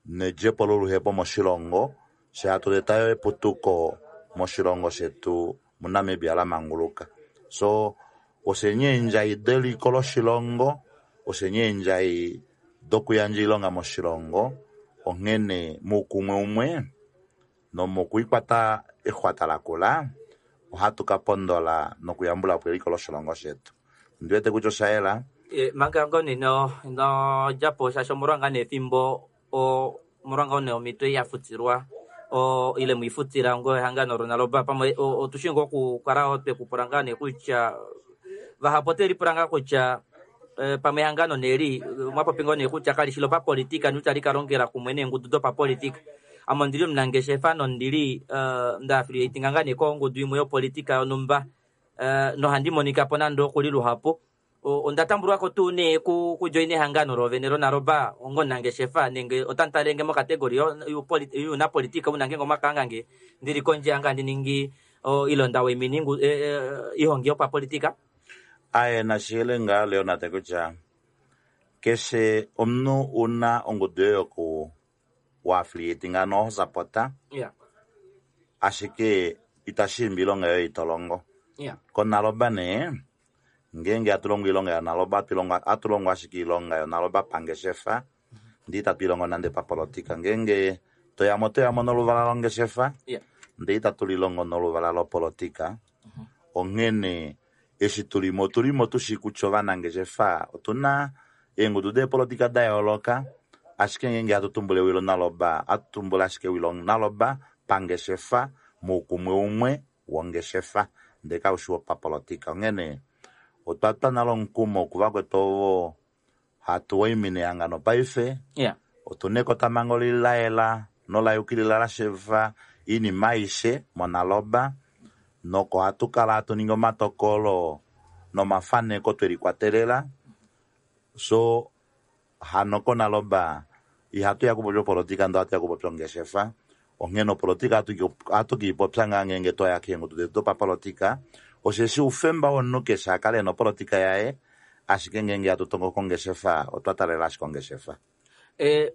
nedjepo loluhepo moshilongo she hatu letayo eputuko moshilongo shetu muNamibia lamanguluka so oshe eendjai deliko loshilongo oshe eendjai dokuyandja oilonga moshilongo onghene muukumwe umwe nomokwiikwata exwata lakula ohatu kapondola nokuyambulapo eliko loshilongo shetu ondiwete kutya oshayela e, manga ngoo nee ino ino djapo shaashi omolwa ngaa nee efimbo omolwa ngoo nee omhito ya futilwa o ile mwifutila ngo ehangano lonaloba pamwe otushi ngoo okukala twekupula ngaa nee kutya vahapu otelipula ngaa kutya e, pamwe ehangano neli mwapopi ngoo nee kutya kalishi lopapolitika nutali kalongela kumwe neengudu dopapolitika ame ondili omunangeshefa nondili uh, nda affiliatinga ngaa nee kongudu imwe yopolitika yonhumba uh, nohandi monika po nande okuli luhapu Onda tambulwako tuu nee ku kujoina ehangano lovene loNaloba ongonangeshefa nenge otamu mokategori yuunapolitika una ngenge omwakaangange ndili kondje anga ndi ningi ilonda weminingu e, e, ihongi yopapolitika. Aye nashihele ngaa Leonard kutya keshe omunhu una ongudu yoye yoku wa-affiliate ngano ho sapota, yeah. Ashike itashi imbi iilonga yoye itolongo. Yeah. KoNaloba nee ngenge atulongo iilonga yoNaloba atulongo ashike iilonga yoNaloba pangeshefa ndee itatu ilongo nande papolitika. Ngenge toyamo toyamo noluvala longeshefa yeah. ndee itatu lilongo noluvala lopolitika. Onghene eshi tulimo otulimo tushi kutya ovanangeshefa otuna eengudu deepolitika da yooloka, ashike ngenge hatu tumbula ewi loNaloba hatu tumbula ashike ewi loNaloba pangeshefa moukumwe umwe wongeshefa ndee kaushi wopapolitika. Onghene otwa twa nale omukumo kuvakwetu ovo hatu waimine ehangano paife, yeah. otuna ekotamhango lilaela nola yukilila la shiiva oinima aishe moNaloba, noko hatu kala hatu ningi omatokolo nomafaneko twelikwatelela. So hano koNaloba ihatu ya kupopya opolitika ndee ohatu ya kupopya ongeshefa. Onghene opolitika ohatu kiipopya ngaa ngenge twaya keengudu detu dopapolitika, osheshi oufemba womunhu keshe akale ena opolitika yaye, ashike ngenge hatu tongo kongeshefa otwa talela ashike ongeshefa. E,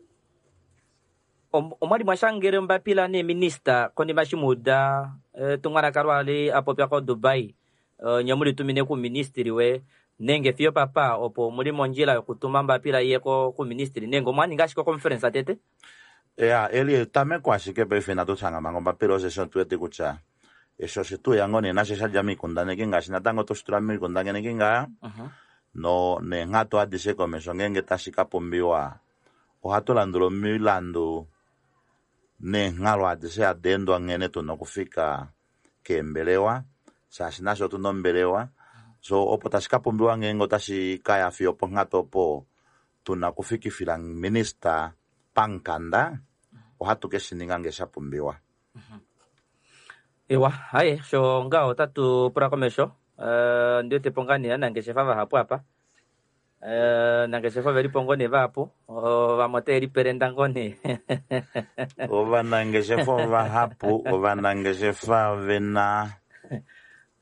omwali mwashangele ombapila neeminista konima eshi muuda etumwalaka lwali apopya ko Dubai, nye mulitumine kuministry we nenge fiyo papa opo muli mondjila yokutuma ombapila iye kuministry nenge omwaninga ashike oconference tete? Ya, eli etameko ashike paife inatu shanga manga ombapila, osheshi otu wete kutya eshi oshetuya ngoo nee nasho shadja miikundaneki ngaashi natango toshitula miikundaneki ngaa no neenghatu adishe komesho ngenge tashi ka pumbiwa ohatu landula omilandu neenghalo adishe hadi endwa nghene tuna okufika keembelewa, shaashi nasho otuna ombelewa. So opo tashi ka pumbiwa ngenge otashi kaya fiyo ponghatu opo tuna okufikifila minista pamukanda, ohatu keshininga ngee sha pumbiwa. Ewa, haye sho ngaho otatu pula komesho. Uh, ndi wetepo ngaa nee aanangeshefa vahapu apa. Uh, nangeshefa ovelipo ngoo nee vahapu, vamwe otave lipelenda ngoo nee. Ovanangeshefa ovahapu, ovanangeshefa vena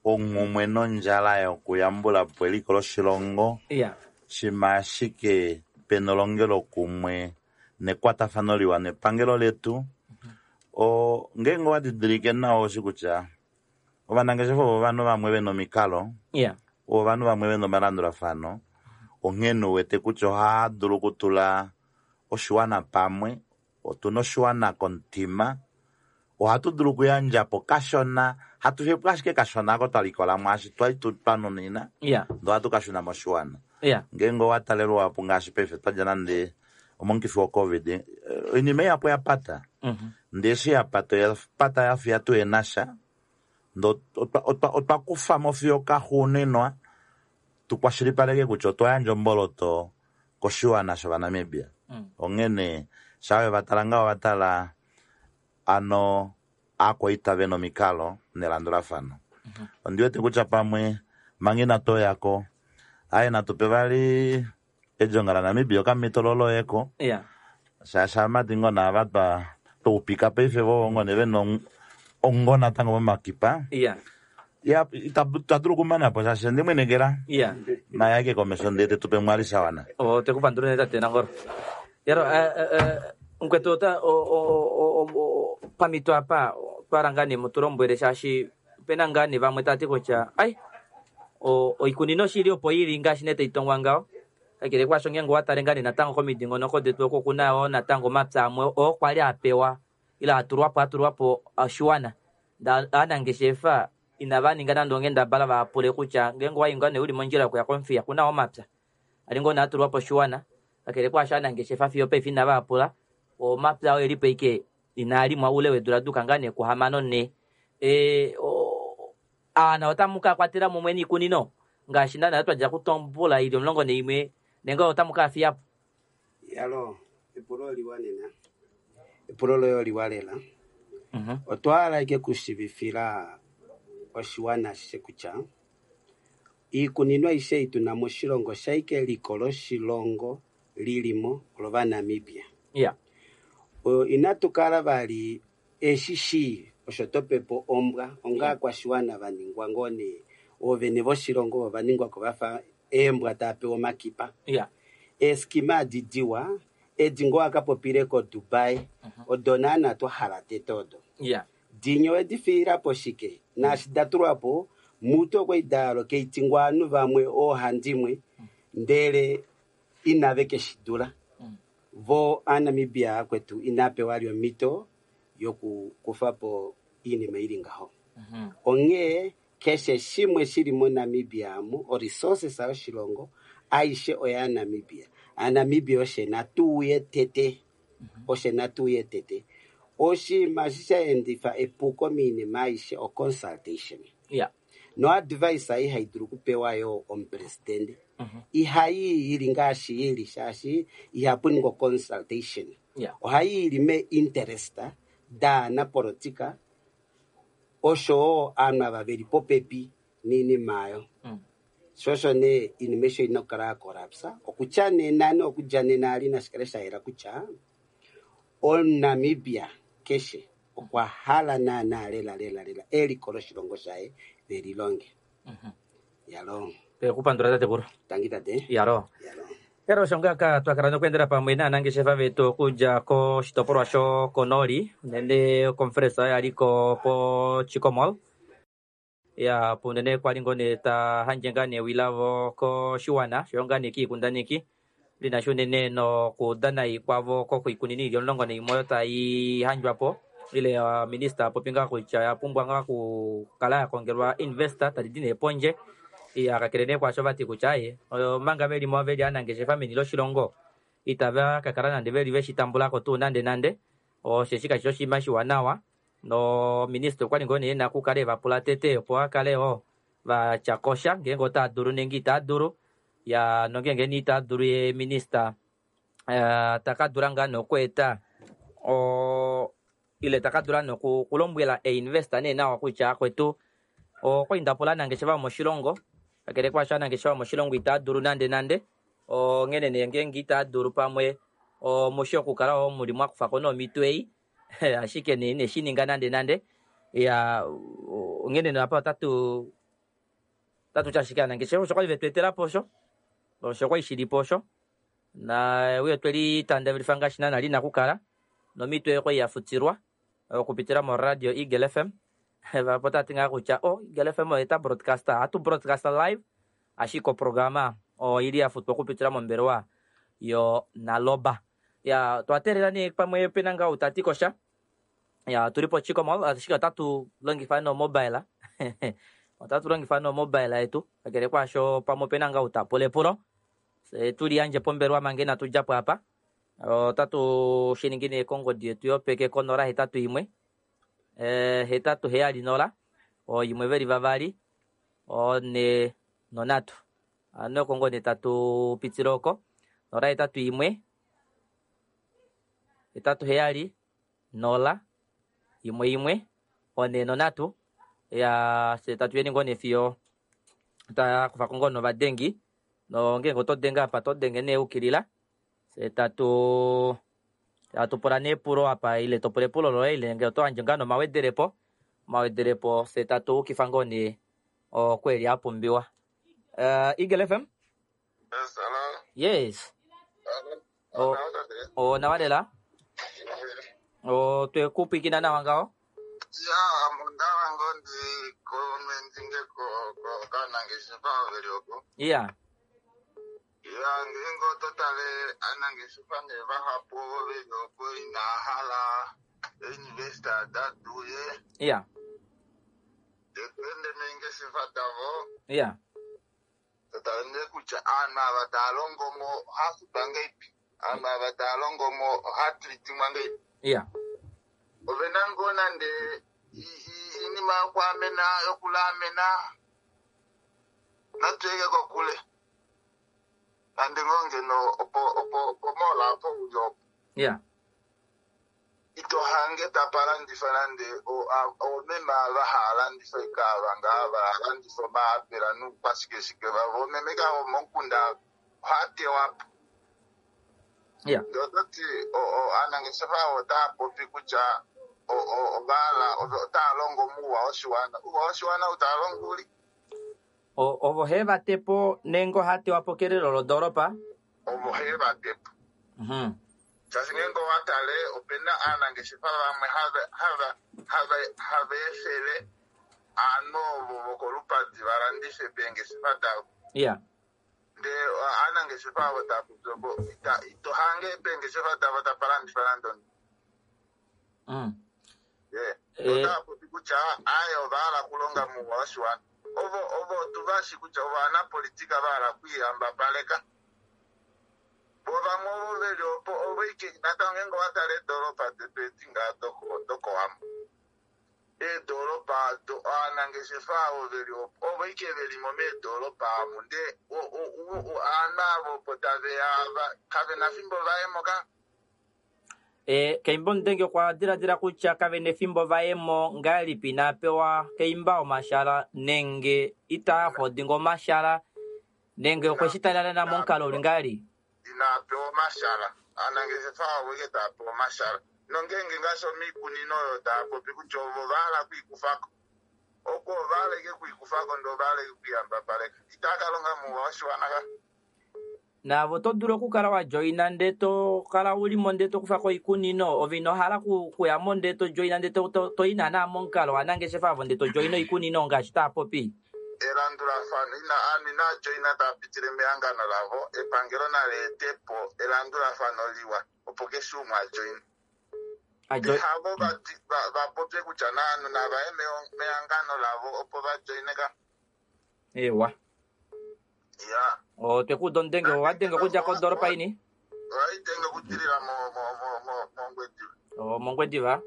onghumwe nondjala yokuyambula po eliko loshilongo, yeah. shima ashike pena elongelo kumwe nekwatafano liwa nepangelo letu. O ngenge owa didilike nawa oshi kutya ovanangeshefa ovo ovanhu vamwe vena omikalo, yeah. ovanhu vamwe vena omalandulafano, onghene uwete kutya ohaya dulu okutula oshiwana pamwe. Otuna oshiwana komutima, ohatu dulu okuyandja po kashona, hatu fiyepo ashike kashona ako twalikola mwaashi twali twanunina, yeah. ndee ohatu kashuna moshiwana. yeah. Ngenge owa talelwa po ngaashi paife twadja nande omomukifi woCovid, oinima ihapu oya pata. Mm-hmm. Ndee eshi ya pata oya pata yafiya tuhena sha, ndee otwa kufamo fiyo kaxuuninwa tukwashilipaleke kutya otwa yandja omboloto koshiwana shovanamibia. Mm. Onghene shaa vatala ngaho vatala ano aakwaita vena omikalo nelandulafano. Mm-hmm. Ondi wete kutya pamwe manga inatu oyako, aye natupe vali edjonga laNamibia okamhito loloyeko, yeah. shaashi aamati ngoo naava twa twaupika paife vo ngoo nee vena ongo natango momakipa. yeah. Ya, itadulu okumana po shaashi ondimwenekela yeah. naye ake komesho ndee tetupe mwali shawana. O tekupandula nee tate Nangolo. Yaro, mukwetu ota pamito apa twala ngaa nee mutulombwele shaashi opena ngaa nee vamwe tati kutya ai oikunino shili opo ili ngaashi nee taitongwa ngaho, kakele kwaasho ngenge owatale ngaa nee natango komidingonoko detu oko okuna yoo natango omapya amwe oo kwali apewa ile atulwapo atulwapo oshiwana, aanangeshefa inava ninga nande onghendabala vapule kutya ngenge owayi ngaa nee uli mondjila yokuya komufiya kuna omapya ali ngoo nee atulwapo oshiwana, kakele kwaasho aanangeshefa fiyo paife inava apula omapya oo elipo ike inaalimwa ule weedula duka ngaa nee kuhamano nhee. E, aana otamu ka kwatela mumwe niikunino ngaashi naana twadja kutombula ili omulongo naimwe nenge otamu ka fiyapo? Yalo, epulo oliwa nena, epulo loye oliwa lela. Mm-hmm. Otwa hala ike kushivifila oshiwana ashishe kutya Iikunino aishe ei tuna moshilongo shaike eliko loshilongo lilimo lovanamibia. Ya. O, inatu kala vali eshi shii osho topepo ombwa onga kwashiwana vaningwa ngoo nee oovene voshilongo ova ningwako vafa eembwa taa pewa omakipa. Ya. Eeskima adi diwa edi ngoo akapopile ko Dubai odo naana twahala tete odo. Ya. Dinye owedi fiilapo shike naashi datulwapo mutu okwali daalo keitingwa ovanhu vamwe oohandimwe ndele inave keshidula. Vo aaNamibia akwetu inapewa li omhito yokukufapo oinima ili ngaho. Onghee keshe shimwe shili moNamibia amu oresources yoshilongo aishe oyaNamibia. AaNamibia oshe natuuye tete. Oshe natuuye tete. Oshinima eshi sha endifa epuko moinima aishe o-consultation. Ya. No advice ei hai dulu okupewa yo omupresidente. Ihayi ili ngaashi ili shaashi ihapu ningwa consultation. Ya. Ohayi ili me interest daanapolitika oshowo aanhu ava veli popepi niinima aayo. Mm. Sho osho nee iinima esho ina okukala ya collapse okutya nena nokudja nena ali nashikale shayela kutya omuNamibia keshe okwa hala naana lela lela lela eliko loshilongo shaye velilonge. Yalo. Twekupandula tatekulu. Tangi tate. Yalo. Yalo. Ero osho ngaaka twakala nokuendela pamwe naanangeshefa vetu okudja koshitopolwa shokonoli unene oconference oyo yaliko po Chicco Mall. Ya punene kwali ngoo nee ta handje ngaa nee ewi lavo koshiwana oshoyo ngaa nee kiikundaneki linasha unene nokudana kwavo koikunino ili omulongo naimwe oyo tai handjwapo ile uh, minista apopi ngaa kutya oya pumbwa ngaa okukala ya kongelwa investor tadi di nee pondje. Ya kakele nee kwaasho vati kutya aye omanga velimo veli aanangeshefa meni loshilongo itava kakala nande veli veshi tambulako tuu nande nande osheshi kashi oshinima shiwanawa no minista okwali ngoo nee ena okukala evapula tete opo akale wo vatyakosha ngeenge otaa dulu nenge itaa dulu ya nongenge nee itaa dulu ye minista uh, taka dula ngaa nokweeta o ile taka dula nokulombwela einvestor nee nawa kutya akwetu okwali ndapula aanangeshefa vomoshilongo kakele kwaasho aanangeshefa vomoshilongo itaa dulu nande nande onghene nee ngeenge itaa dulu pamwe omushi okukala wo muli mwakufako nomito ei ashike nee ineshi ninga nande nande ya onghene nee apa otatu otatu ti ashike aanangeshefa osho kwali vetu etelapo osho osho kwali shilipo osho na uye tweli tandavelifa ngaashi naana lina okukala nomito oyo kwali yafutilwa okupitila moradio Eagle F M. Vapo tati ngaa kutya o Eagle F M oyo ta broadcaster hatu broadcaster live ashike oprograma oili yafutwa okupitila mombelewa yo Naloba. Ya twateelela nee pamwe pena ngaa utati kosha. Ya tuli po Chicco Mall ashike otatu longifa no mobile. Otatu longifa no mobile yetu kakele kwaasho pamwe pena ngaa utapula epulo. Se tuli yandje pombelewa manga inatu djapo apa. Otatu shiningi nee kongodi yetu yopeke konola hetatu imwe eh, hetatu heyali nola oyimwe veli vavali one nonhatu. Ano kongodi tatu pitile oko nola hetatu imwe hetatu heyali nola imwe imwe one nonhatu. Ya se tatu yeni ngoo nee fiyo takufako ngoo novadengi nongenge oto denge apa to denge nee ukilila se tatu tatu pula nee epulo apa ile to pula epulo loye ile ngee oto yandje ngaa nomawedelepo omawedelepo se tatu ukifa ngoo nee okweli apumbiwa. Uh, Eagle F M? Yes, hello. Yes. Hello. O, o nawa lela? O twekupwikina nawa ngaho? Ya, mundawa ngondi komendinge ko ko kanangeshefa veli oko. Yeah. Ya, ngingo totale anangeshefa ne vahapu veli oko ina hala investor datuye. Yeah. Tetwende mengeshefa davo. Yeah. Totale kutya aanhu ava tava longo mo ohafutwa ngeipi. Aanhu ava tava longo mo ohatreatingwa ngeipi. Yeah. Ovena ngoo nande iinima yokuamena yokulaamena natuyeke kokule nande ngoo ngeno opo opo opo mola opo uli opo. Yeah. Ito hange tapa landifa nande oomeme ava haya landifa ikaava ngaa valandifa omaapela nuukwashikeshike vavo oomeme ka vomomukunda ohaya tewa po. Ya. Ndee ototi aanangeshefa otaya popi kutya ovahala otaya longo muuwa woshiwana. Uuwa woshiwana utaya longo uli? Ovo he va tepo nenge oha tewa po kelelo lodoolopa? Ovo he va tepo. Mhm. Shaashi ngeenge owa tale opena aanangeshefa vamwe hava hava hava hava efele aanhu ovo vokolupadi va landife peengeshefa davo. Ya. Ndee aanangeshefa avo tava popi opo ito hange peengeshefa davo tapa landifa nande omunhu. Mm. Ye. Eh. Otava popi kutya aye ova hala okulonga muuwa woshiwana. Ovo ovo otuvashi kutya ovo anapolitika va hala okwiihambapaleka. Vo vamwe ovo veli opo ovo ike natango ngeenge owa tale eedoropa detu edi ngaa dokowambo. Eedoropa aanangeshefa avo veli opo ovo ike velimo meedoropa amu ndee aanhu avo opo taveya ava kavena fimbo vayemo ka. E, Keimba Omudenge okwa diladila kutya kavena efimbo vayemo ngahelipi inaa pewa Keimba omashala nenge itaa hodinga omashala nenge okwe shi talela momukalo uli ngahelipi? Inaa pewa omashala. Aanangeshefa avo ike tava pewa omashala. Nongeenge ngaashi omiikunino oyo tava popi kutya ovo va hala okwiikufako. Oko ova hala ike okwiikufako ndee ova hala ike okwiihambapaleka. Itava ka longa muuwa woshiwana ka. Naavo oto dulu okukala wa joina ndee to kala ulimo ndee to kufa ko oikunino ove ino hala kuyamo ndee to joina ndee to i naana momukalo waanangeshefa avo ndee to joina oikunino ngaashi tava popi. Elandulafano ina aanhu inaa joina tava pitile mehangano lavo epangelo nali etepo elandulafano liwa opo keshe umwe a joine. Havo vapopye kutya naanhu navaye mehangano lavo opo va joine ka. Ewa. Ya. Otwekuuda omudenge owadenge okudja kodoropa ini? Ohaidenge okudilila mOngwediva. Mongwediva?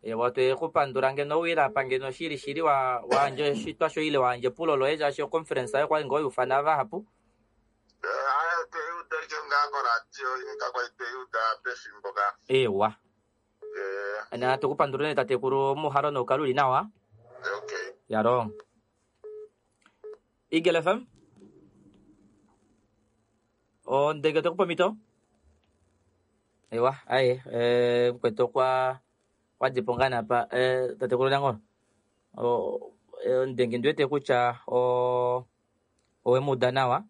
Ewa twekupandula ngeno owile apa ngeno shili shili wayandja oshitwa shoye ile wayandja epulo loye shaashi oconference oyo kwali ngoo yuufana vahapu. Aya tweyuda ike ngaa koradio kakwali tweyuda pefimbo ka. Ewa. Na tukupandula nee tatekulu muhalo noukale uli nawa. Okay. Yalo. Eagle F M? Ondenge otekupa omhito? Ewa, aye, eh, mukwetu okwa wadipo ngaa napa eh, tatekulu Nangolo. Ondenge ndiwete kutya owemuuda nawa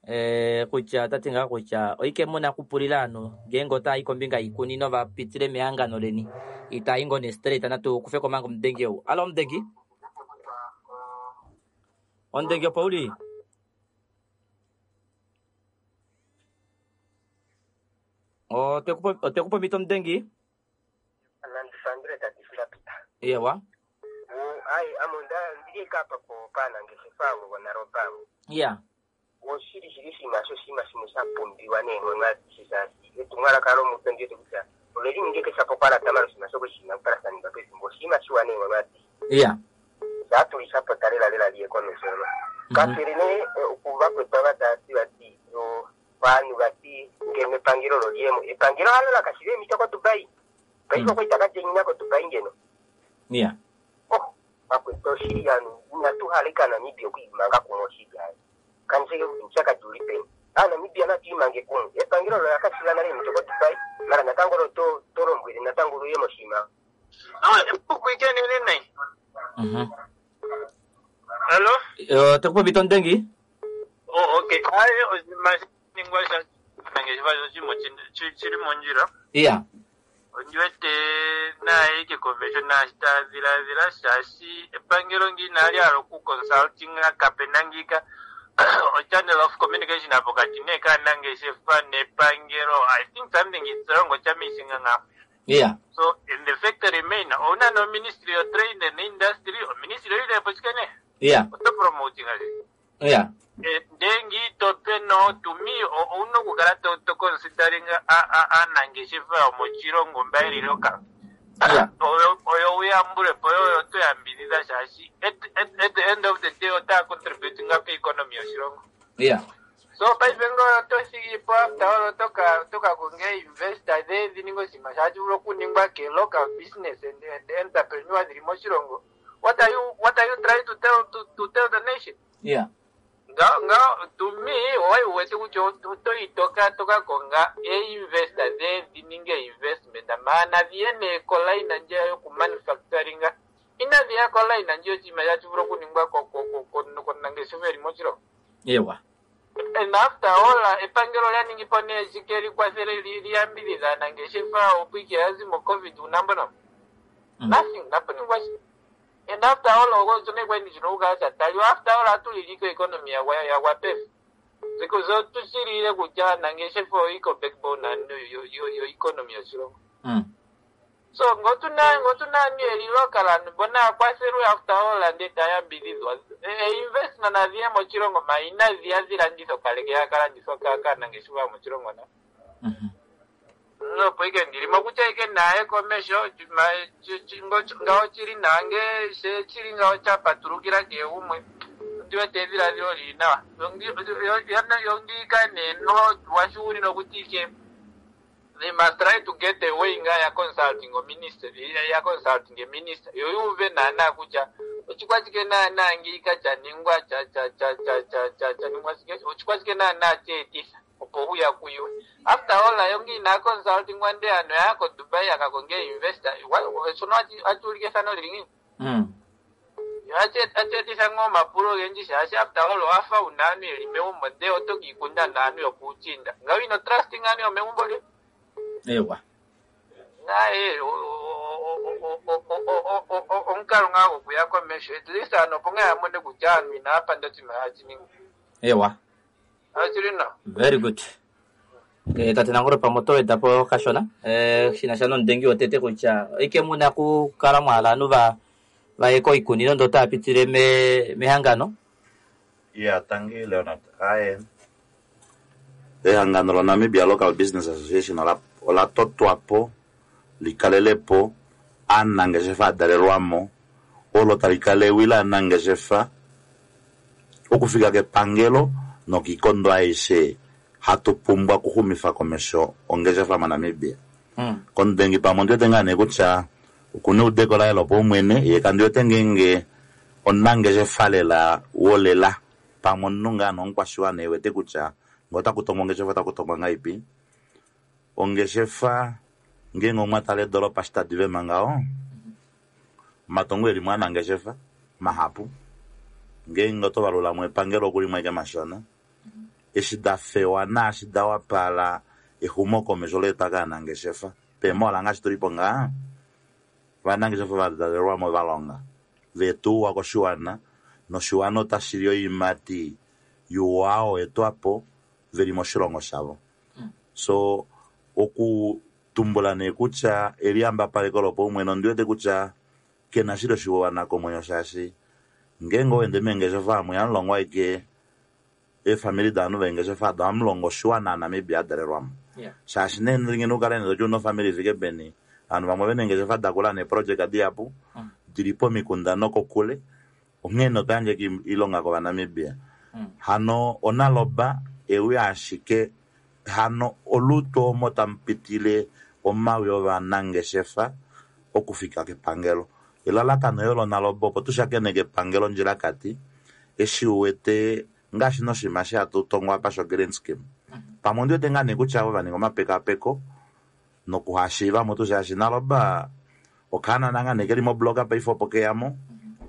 eh, kutya otati ngaa kutya oike muna okupulila aanhu ngeenge otaayi kombinga yiikunino vapitile mehangano leni itaayi ngoo ne straight natu kufeko manga omudenge ou. Alo omudengi? Omudenge opo uli? Otekupa omhito omudengi? Nandifandule tati filapita. Ewa. Ai ame ndili kapa po paanangeshefa avo vonaroba avo. Ya. Oshili shili oshinima sho oshinima shimwe sha pumbiwa neenghono adishe shaashi etumwalaka lomupe ndiwete kutya ove lininge keshe apa kwalata mala oshinima shoko shina okukala sha ningwa pefimbo oshinima shiwa neenghono adishe. Ya. Shaatulishapo lela lela liye komesho no. Kakele nee okuvakwetwa vatati vati ovanhu vati ngeno epangelo loliyemo epangelo halo lakashile eemhito koDubai. Paife okwa itaka djenina koDubai ngeno. Ya. Oh, vakwetwa oshili anu inatu hala ika Namibia okwiimanga kumwe oshili ayo. Kaniseke kuti oupyakadi uli peni. Aanamibia natu imange kumwe. Epangelo olo lakashila nale eemhito koDubai mala natango lo to lombwele natango luye moshinima. Mhm. Hello? Otekupa omhito omudengi? Oh, okay. Aye, oshinima shaningwa sha nangeshefa shimwe shili mondjila. Ya. Ondiwete naye ike komesho naashi tadhiladhila shaashi epangelo ngi inali hala okuconsultinga kapena ngika o-channel of communication pokati nee kaanangeshefa nepangelo. I think something is wrong ocha-missinga ngapo. Ya. So in the factory main, ouna no ministry of trade and industry, o ministry oilepo shike nee? Ya. Oto promoting ase. Ya. Ndengi tope no to me ouna okukala to to considering aanangeshefa yomoshilongo mba yeli local. Ya. Oyo oyo uyambulepo oyo to yambidhidha shaashi at, at, at the end of the day otaya contributing ko economy yoshilongo. Ya. So paife ngo oto thigi po after all oto ka oto ka konga investor dhe dhi ninge oshinima shashi vulu okuningwa ke local business and, and entrepreneur dhili moshilongo. What are you what are you trying to tell to, to tell the nation? Yeah. Ngaho ngaho to me owai wete kutya oto yi toka toka konga e-investor dhe dhi ninge investment maana dhiye nee kolaina ndjeya yokumanufacturinga inadhi ya kolaina ndje oshinima shashi vulu okuningwa konangeshefa eli moshilongo. Ewa. And after all epangelo lya ningi po nee shike likwathele li- liyambidhidha aanangeshefa opo ike ya zi mo covid unambono Mm. nothing napuningwa shi. And after all okozone kweni chino ukasa taliwa after all atuliliko economy yagwa yagwa pefu because otushilile kutya aanangeshefa oiko backbone and yo yo yo economy yoshilongo. Mm. So ngotuna ngotuna ni eli local anhu bona akwathelwe after all ande tayambidhidhwa e investment nadhiye moshilongo ma inadhiya dhilandithwa kaleke yakalandithwa kaanangeshefa moshilongo na Mhm. nopo ike ndilimo kutya ike naye komesho ma- chi- chi- ngo- ngaho chili nange she chili ngaho chapatulukila kehe gumwe ndiwete edhiladhilo lili nawa yongika neno washuuli nokuti ike they must try to get a way nga ya consulting o minister ya consulting a minister yo yuve naana kutya ochikwachike naana ngika chaningwa cha cha cha cha cha cha chaningwa chike ochikwachike naana cheetisa opo huya kuyiwe after all ayo ngina consulting wande ano yako Dubai akakonge investor shono achiulike fano lili ngini Mm. acheetisa ng'o mapulo ogendji shaashi after all owafa una aantu yeli megumbo ndee oto kiikunda naantu yopuuchinda ngawo ino trusting aantu yomegumbo lyo Ewa. naye omukalo ngaa gokuya komesho at least ano opo ngaa yamone kutya aantu inaya panda oshinima hashi Ewa. Achili nawa. Very good. Eh, tate Nangolo pamwe oto weda po kashona eh, shina sha nomudengi wotete kutya ike muna kukala mwahala aantu va vaye koikunino ndo taya pitile me, mehangano. Yeah, tangi Leonard. Aye. Ehangano loNamibia Local Business Association ola, ola totwapo likalelepo aanangeshefa adalelwamo olo tali kala ewi laanangeshefa okufika kepangelo nokiikondo aishe hatu pumbwa okuxumifa komesho ongeshefa moNamibia. Mm. Komudengi pamwe ondiwete ngaa nee kutya okuna eudeko laye lopaumwene ye kandiwete ngeenge omunangeshefa lela wolela pamwe omunhu ngaa nomukwashiwana ewete kutya ngee otakutongwa ongeshefa otakutongwa ngaipi. Ongeshefa ngeenge omwatala edoolopa eshi tadi vema ngaho omatungo elimo aanangeshefa mahapu ngeenge oto valulamo epangelo okulimwe ashike mashona eshi dafewa naashi dawapala exumokomesho leetwa kaanangeshefa peemola ngaashi tulipo ngaa ovanangeshefa vadalelwamo valonga vetuwa koshiwana noshiwana otashili oiimati yuwa etwapo veli moshilongo shavo. So okutumbula nee kutya eliyambapaleko lopaumwene ondiwete kutya kena shili oshiwana komwenyo shaashi ngeenge owende meengeshefa amwe ihamulongwa ashike eefamili daanhu veengeshefa ado ohamulongo oshiwana aNamibia adalelwamo. Yeah. Shaashi nee ngeno ukale nee toti una ofamili ifike peni ovanhu vamwe vena eengeshefa dakula neeprojeka dihapu Mm. dili pomikunda nokokule onghee otayandje oilonga kovanamibia. Mm. Hano onaloba ewi ashike hano olutu omo tamupitile omawi ovanangeshefa okufika kepangelo. Elalakano yo lonaloba opo tushakeneke epangelo ondjilakati eshi uwete ngaashi noshinima eshi hatu tongwa apa sho green scheme. Pamwe ondiwete ngaa nee kutya avo vaninga omapekapeko nokuhashiivamo tuu shaashi naloba okaanana ngaa nee keli mobloka paife opo keyamo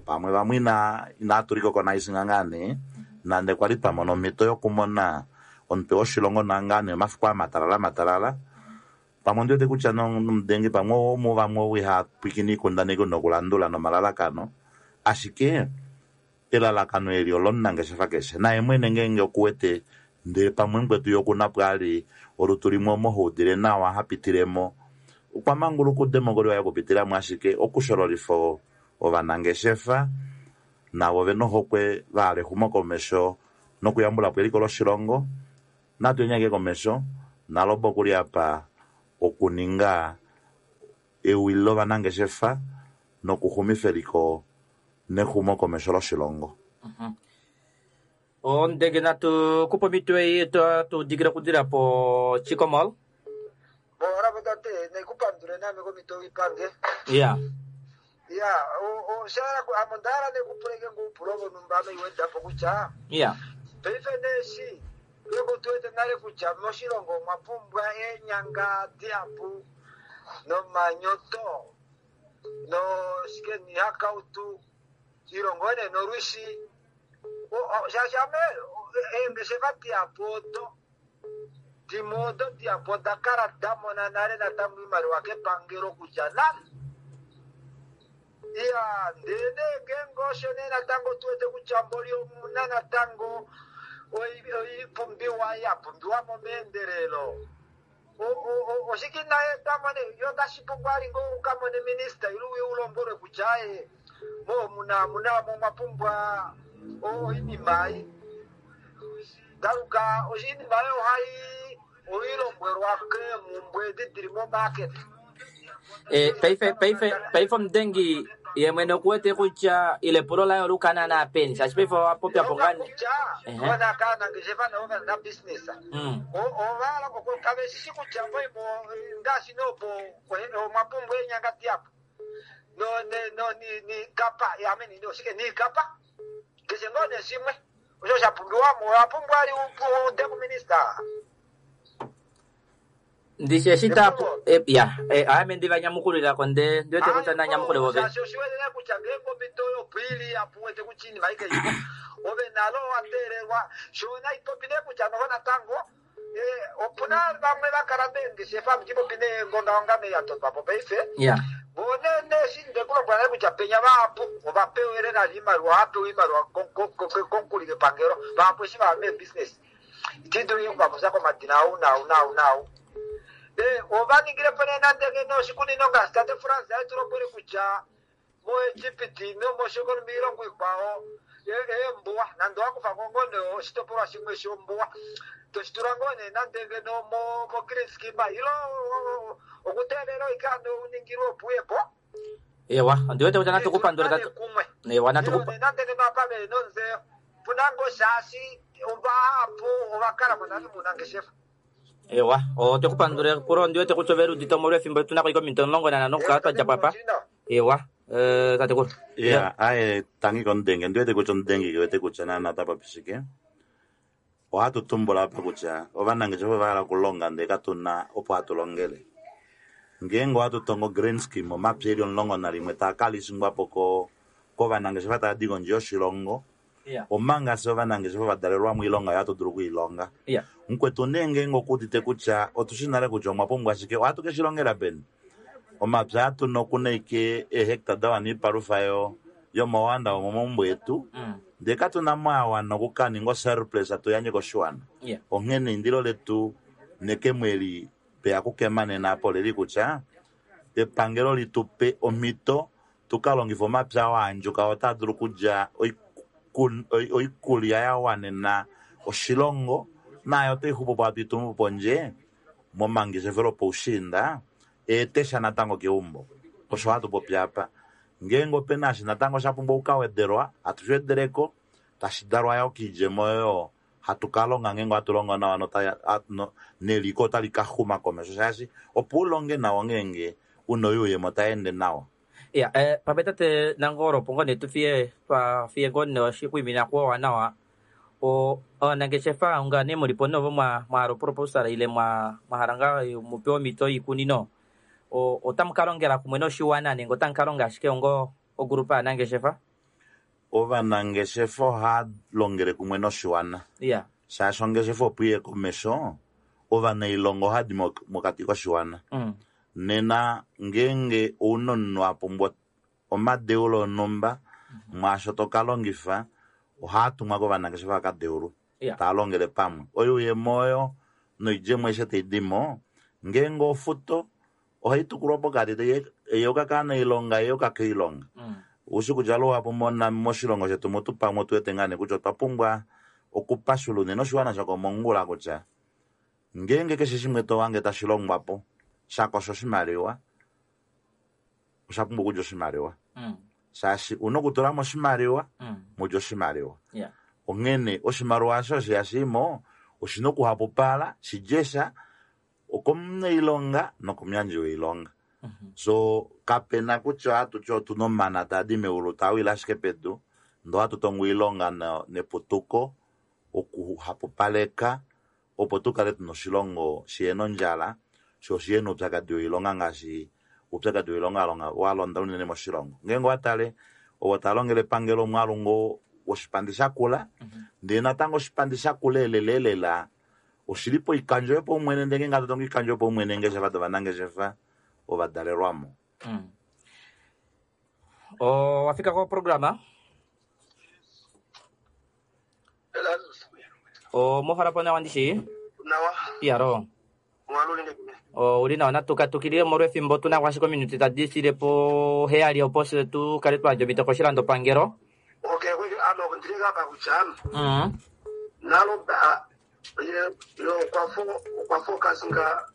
pamwe vamwe ina inatuliko konaisinga ngaa nee nande kwali twamona omhito yokumona omutwe woshilongo ngaa nee omafiku amatalala matalala pamwe ondiwete kutya nomudengi pamwe omu vamwe ou ihapwikine oikundaneki nokulandula nomalalakano ashike elalakano eli olomunangeshefa keshe naye mwene ngeenge okuwete ndele pamwe mukwetu ye okuna pwaali olutu limwe omo haudile nawa hapitilemo okwa manguluka udemokoli waye okupitilamo ashike okushololifa ovanangeshefa navo vena ohokwe vahala exumokomesho nokuyambulapo eliko loshilongo natu enyake komesho naloba okuli apa okuninga ewi lovanangeshefa nokuxumifa eliko nexumokomesho loshilongo. Mm -hmm. Ondege natu kupa omhito ei tu dikile okudila po Chicco Mall. Bora tate nekupandule nami komhito ipange. Ya. Ya, o shara ku amondara nekupuleke ngupulo vonumba ame iwedapo kutya. Ya. Paife neshi leko tuwete nale kutya moshilongo omwa pumbwa eenyanga dihapu nomanyoto no shike nihakautu ilongo ene nolwishi shaashi ame eengeshefa dihapu odo dimwe odo dihapu oda kala da mona nale natango iimaliwa kepangelo kutya nale iya ndele ngeenge osho nee natango tuwete kutya mboli omuna natango oipumbiwa ya pumbiwa mo meendelelo oshike naye tamone yo tashi pumbwa ali ngo ukamone minista ilu ulombwelwe kutya aye mo muna muna mo mwapumbwa oinima ei daluka oshinima oyo ohai oilombwelwa keemumbwe edi dili momarket. Eh, paife paife paife omudengi ye mwene okuwete kutya ile epulo laye olukana naapeni shaashi paife owapopya po ngani ona kaanangeshefa navo vana business ovahala kaveshishi kutya moimo ngaashi nopo omwa pumbwa eenyanga dihapu no no ni kapa ameni oshike niikapa keshe ngoo neshimwe osho sha pumbiwamo owa pumbwa ali ude kuminista. Ndishe shita ya ame ndivanyamukulilako nde ndiwete kutya nanyamukule vove shaashi oshiwetele kutya ngeenge omhito yopwili apuwete kutya iinima ike iko ove nalo wateelelwa shona ipopi nee kutya noho natango opuna vamwe vakala meengeshefa mutipopi neengongaongame ya totwapo paife vone neshi ndekulombwela nale kutya penya vahapu ovapewele nale iimaliwa ohapewa iimaliwa komukuli kepangelo vahapu eshi vava meebusiness itidulu okuvakusa komadina au nau nau nau ovaningilepo nee nande ngeno oshikunino ngaashi tate France aetulombwele kutya moEgypt nomoshikolo miilongo ikwao eembuwa nande owakufa ngoo nee oshitopolwa shimwe shombuwa toshitula ngoo nee nande ngeno mo green scheme ilo okuteelela oikando uningilwe opo uyepo. Ewa, ondiwete kutya natukupandula kumwe ewa natukupa nande ngeno apa veli nonzeyo puna ngoo shaashi ovahapu ovakala mo nale munangeshefa. Ewa, otwekupandula epulo ndiwete kutya overudite omolwefimbo tunako ike ominute omulongo nanhano okukala twadja papa. Ewa, tatekulu. Ya, aye tangi komudenge ndiwete kutya omudenge kewete kutya naana otapopi shike. Ohatu tumbula apa kutya ovanangeshefa ovahala okulonga ndee katuna opo hatu longele. Ngeenge ohatu tongo green scheme omapya eli omulongo nalimwe taa kalishingwapo kovanangeshefa tava di kondje yoshilongo. Omanga se ovanangeshefa vadalelwamo oilonga oyo hatu dulu okuilonga. Mukwetu nee ngeenge okuudite kutya otushi nale kutya omwa pumbwa shike ohatu ke shi longela peni. Omapya atuna okuna ike eehecta da wana oipalufa yomowanda womomaumbo etu ndee katuna mo awana okukaninga osurplus tuyandje koshiwana. Onghene eindilo letu nekemo eli peya kukema nena apo oleli kutya epangelo litupe omhito tukalongife omapya oo aandjuka otaa dulu okulya oikulya ya wanena oshilongo nayo otai xupu po hatu itumu pondje momangeshefelo poushiinda eetesha natango keumbo. Osho hatu popi apa. Ngeenge opena eshi natango sha pumbwa okukawedelwa hatu shi wedeleko tashi dalwa yo kiidjemo oyo hatu kalonga ngeenge ohatu longo nawa neliko otali ka xuma komesho shaashi opo ulonge nawa ngeenge una oyuuyemo tayeende nawa. Ya, eh, pamwe tate Nangolo opo ngoo nee tufiye twafiye ngoo nee oshikwiimina kuowa nawa o ovanangeshefa onga nee mulipo novo mwahala oproposal ile mwahala ngaa mupewe omhito yoikunino otamu kalongela kumwe noshiwana nenge otamu kalonga ashike ongo ogrupa yaanangeshefa? Ovanangeshefa ohava longele kumwe noshiwana. Ya. Shaashi ongeshefa opo iye komesho ovanailonga ohadi mokati koshiwana. Nena ngeenge ouna omunhu apumbwa omadeulo onumba mwaasho tokalongifa ohaa tumwa kovanangeshefa vakadeulwe taa longele pamwe. Oyuuyemo oyo noidjemo aishe taidimo ngeenge ofuto ohai tukulwa pokati eyuka kaanailonga eyuka koilonga. Ushi kutya luhapu moshilongo shetu mutu pamwe otuwete ngaa nee kutya otwa pumbwa okupashula unene oshiwana shokomongula kutya ngeenge keshe shimwe tohange tashi longwapo shakosha oshimaliwa osha pumbwa okulya oshimaliwa. Shaashi una okutulamo oshimaliwa mulye oshimaliwa. Onghene oshimaliwa osho osho yashimo oshina okuhapupala shijesha okomunailonga nokomuyandji woilonga. So kapena kutya ohatu ti otuna omana taadi meulu taawile ashike pedu, ndoo ohatu tongo oilonga neputuko okuhapupaleka opo tukale tuna oshilongo shihena ondjala sho oshihena oupyakadi woilonga ngaashi oupyakadi woilonga walonda unene moshilongo. Ngeenge owatale ovo talongele epangelo omwaalu ngoo woshipandi shakula, ndee natango oshipandi shakula elelelela oshili poikandjo yopaumwene, ndee ngeenge hatu tongo oikandjo yopaumwene eengeshefa dovanangeshefa ovadalelwamo. Mm. Owafika koprograma? Omohala po nawa ndishi? Nawa. Iyalo. Ouli nawa, natukatukilile molwefimbo otuna ashike ominute tadi file po heyali opo fye tukale twayandja omhito koshilandopangelo. Okay, ano ndili apa kutya Mm. naloba okwa focusinga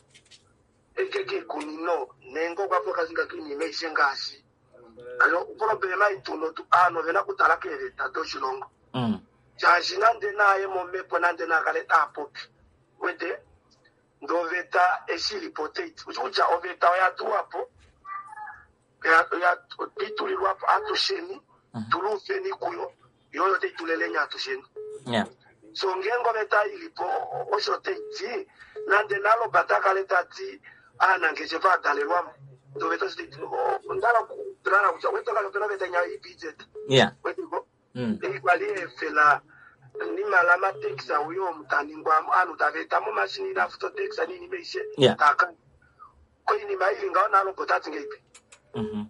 eke kiikunino nenge okwa focusinga kiinima aishe ngaashi ano oproblema ituno aanhu ovena okutala keeveta doshilongo Mm. shaashi nande naye momhepo nande nakale taapopi wete ndee oveta eshi ilipo otaiti kutya oveta oya tulwapo twitulilwapo atusheni tuluufeni kuyo yo oyo taituleleni atusheni. Yeah. So ngeenge oveta ilipo osho taiti nande naloba takale tati aanangeshefa adalelwamo ndee oveta osho taiti ondala kutulala kutya wetokale opena oveta inya E B Z Yeah. weteko Mm. ekwali efela nimala amatekisa uyo omutaningwa aanhu tava eta mo omashini inafuta otekisa niinima aishe Yeah. taka koinima ili ngaho naloba otati ngeipi Mhm.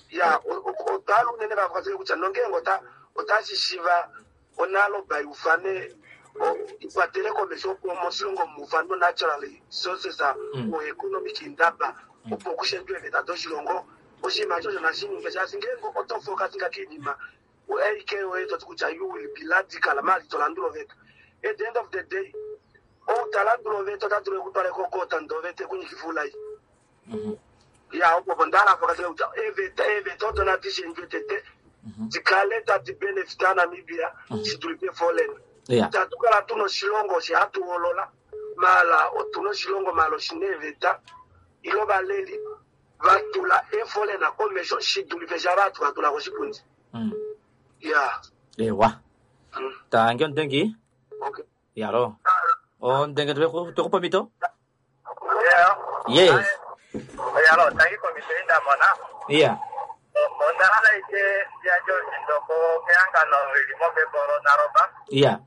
ya otwali unene vakwatele kutya nongeenge ota otashishiva onaloba iufane ikwatele komesho opo moshilongo muufane o-natural resources Mm. o economic indaba opo kushendwe eeveta doshilongo oshinima osho nashininge shaashi ngeenge oto focusinga kiinima A K oye toti kutya you will be radical mali tolandula oveta. At the end of the day ou talandula oveta ota dulu ekutwala kokota ndee oveta ekunyikifa oulai. Mhm. Ya opo opo ndala focusing kutya eeveta eeveta odo nadi shendjwe tete dikale tadi benefita Namibia shidulife foreign. Yeah. Tatu kala tuna oshilongo osho hatu hoolola maala otuna oshilongo maala oshina eeveta ile ovaleli vatula eeforeign komesho shidulife sha vatu vatula koshipundi. Mm. Ya. Ewa. Mm. Tangi omudengi. Okay. Yalo. Omudenge twekupa omhito? Yeah. Yes. Yalo, tangi komito indamona. Yeah. Onda hala ike yandje oshindoko kehangano lili mombepo naroba Yeah.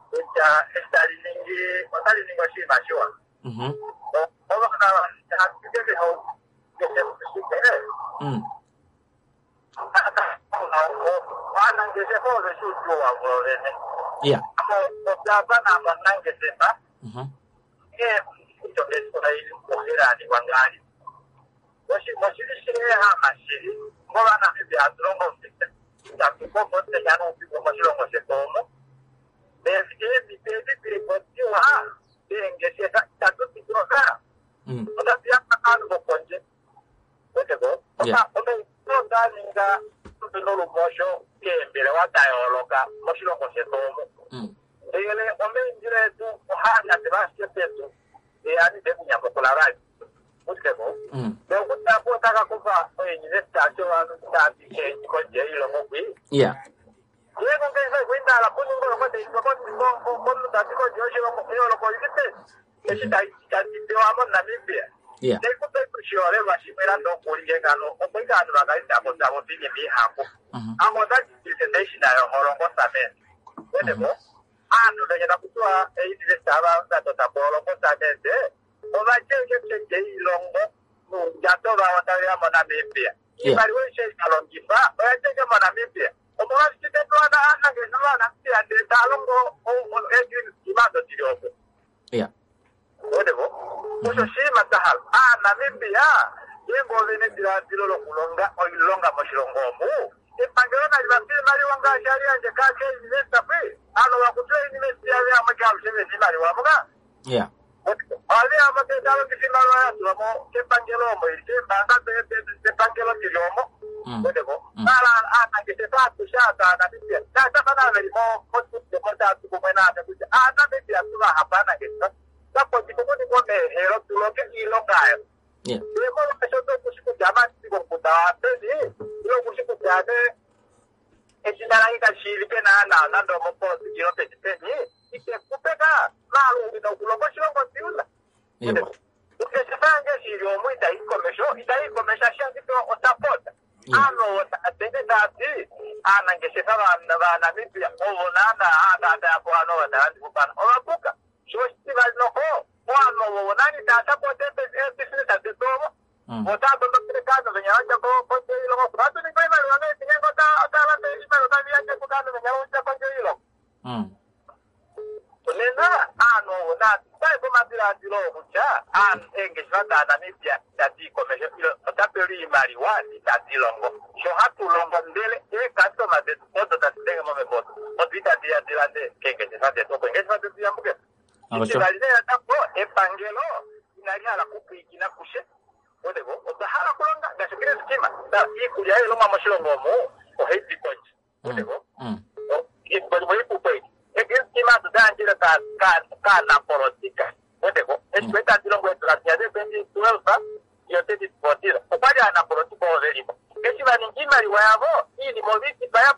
kutya eshi tali ningi otali ningi oshinima shiwa. Mhm. Mm. Aanangeshefa ove shi uudjuu wavo vene. Yeah. Olyava namunangeshefa Mhm. nghee ongeshefa ili okuhilanikwa ngali. Oshili shiehama shili ngovanamibia hatu longo itatu kombo omutenya noufiku moshilongo shetu omo. Eemhito edi dilipo diwa eengeshefa itatu didoka Mm. otatu yapa kaanhu vokondje. Weteko Yeah. omaindilo nda ninga nolumosho keembelewa da yooloka moshilongo shetu omo. Mm. Ndele omaindilo etu ohaa nyatela ashike pedu yani dekunyamukula vali. Weteko Mm. nokutapo otaka kufa ouniversity ovanhu tadi kondje yoilongo kwi. Yeah. Yeko ngeshefa kuindala kuninga tati kondje yoshilongo yooloko ilipe eshi tadi pewa moNamibia. Yeah. Ndekupe oshiholelwa shimwe nande okuli ngano opo ike aanhu vakaendako tavo piinima ihapu. Mhm. Amo otadi yoholongo cement. Weteko aanhu vengena kutiwa euniversity ava vatota po holongo cement ovadje kondje yoilongo nuundjato vawo taveya moNamibia. Iimaliwa aishe ikalongifa oyadjeke moNamibia. Omolwashike tetuwana aanangeshefa vaNamibia ndee taalongo eegreen scheme ado dili opo. Yeah. Weteko osho oshinima tahala aanamibia ngeenge ovena ediladilo lokulonga oilonga moshilongo omu epangelo nali vape iimaliwa ngaashi ali yandje kaake university kwi ano vakutula university yave amwe kaalushe vena iimaliwa muka. Yeah. Ohadhi ya mo taya longitha iimaliwa ya tulwa mo kepangelo omo ili keembaanga dhepangelo dhili omo. Weteko. Mara aanangeshefa atushe aaNamibia naashafana veli mo mostudio mo taya tu kumwe naame kutya aaNamibia tu vahapa aanangeshefa tapotiko kuningwa omeehelo tu longe iilonga ayo. Ye molwaashoka okushi kutya amatiko komukunda wapeni ile okushi kutya ane eshina lange kashiivike naana nande omopolitiki ilo peni peni itekupeka maalungi nokulonga oshilongo siula. Ongeshefa yange shili omo itayi komesho itayi komesho ashike osapota. Ano tene tati aanangeshefa vaNamibia ovo naana aataatayapo ano vatalandifupana ovapuka sho oshitivali noho ovanhu ovo nani taya sapota eebisinesa detu ovo otaa tondokele kaanhu venya vadja kondje yoilongo ohatu ningi oimaliwa meetinyengo otalande iimaliwa tavi yadja kukaanhu venya vadja kondje yoilongo. Nena aanhu ovo natai komadilaadilo kutya eengeshefa daNamibia itadi i komesho ota pewa iimaliwa itadi longo sho hatu longo ndele eekastoma detu odo tadi denge momhepo odo odo itadi ya dilande keengeshefa detu opo eengeshefa detu yambuke. Itivali nee natango epangelo inali hala kupwiikina kushe weteko otwa hala kulonga ngaashi green scheme iikulya yoilongwa moshilongo omu ohai di kondje weteko iipupo egreen scheme atu dayandjile kaanapolotika weteko eshi tadi longo eedula dinya de twenty twelve iyo twenty fourteen okwali aanapolotika ovo velimo eshi vaningi iimaliwa yavo iinima ovitipa ya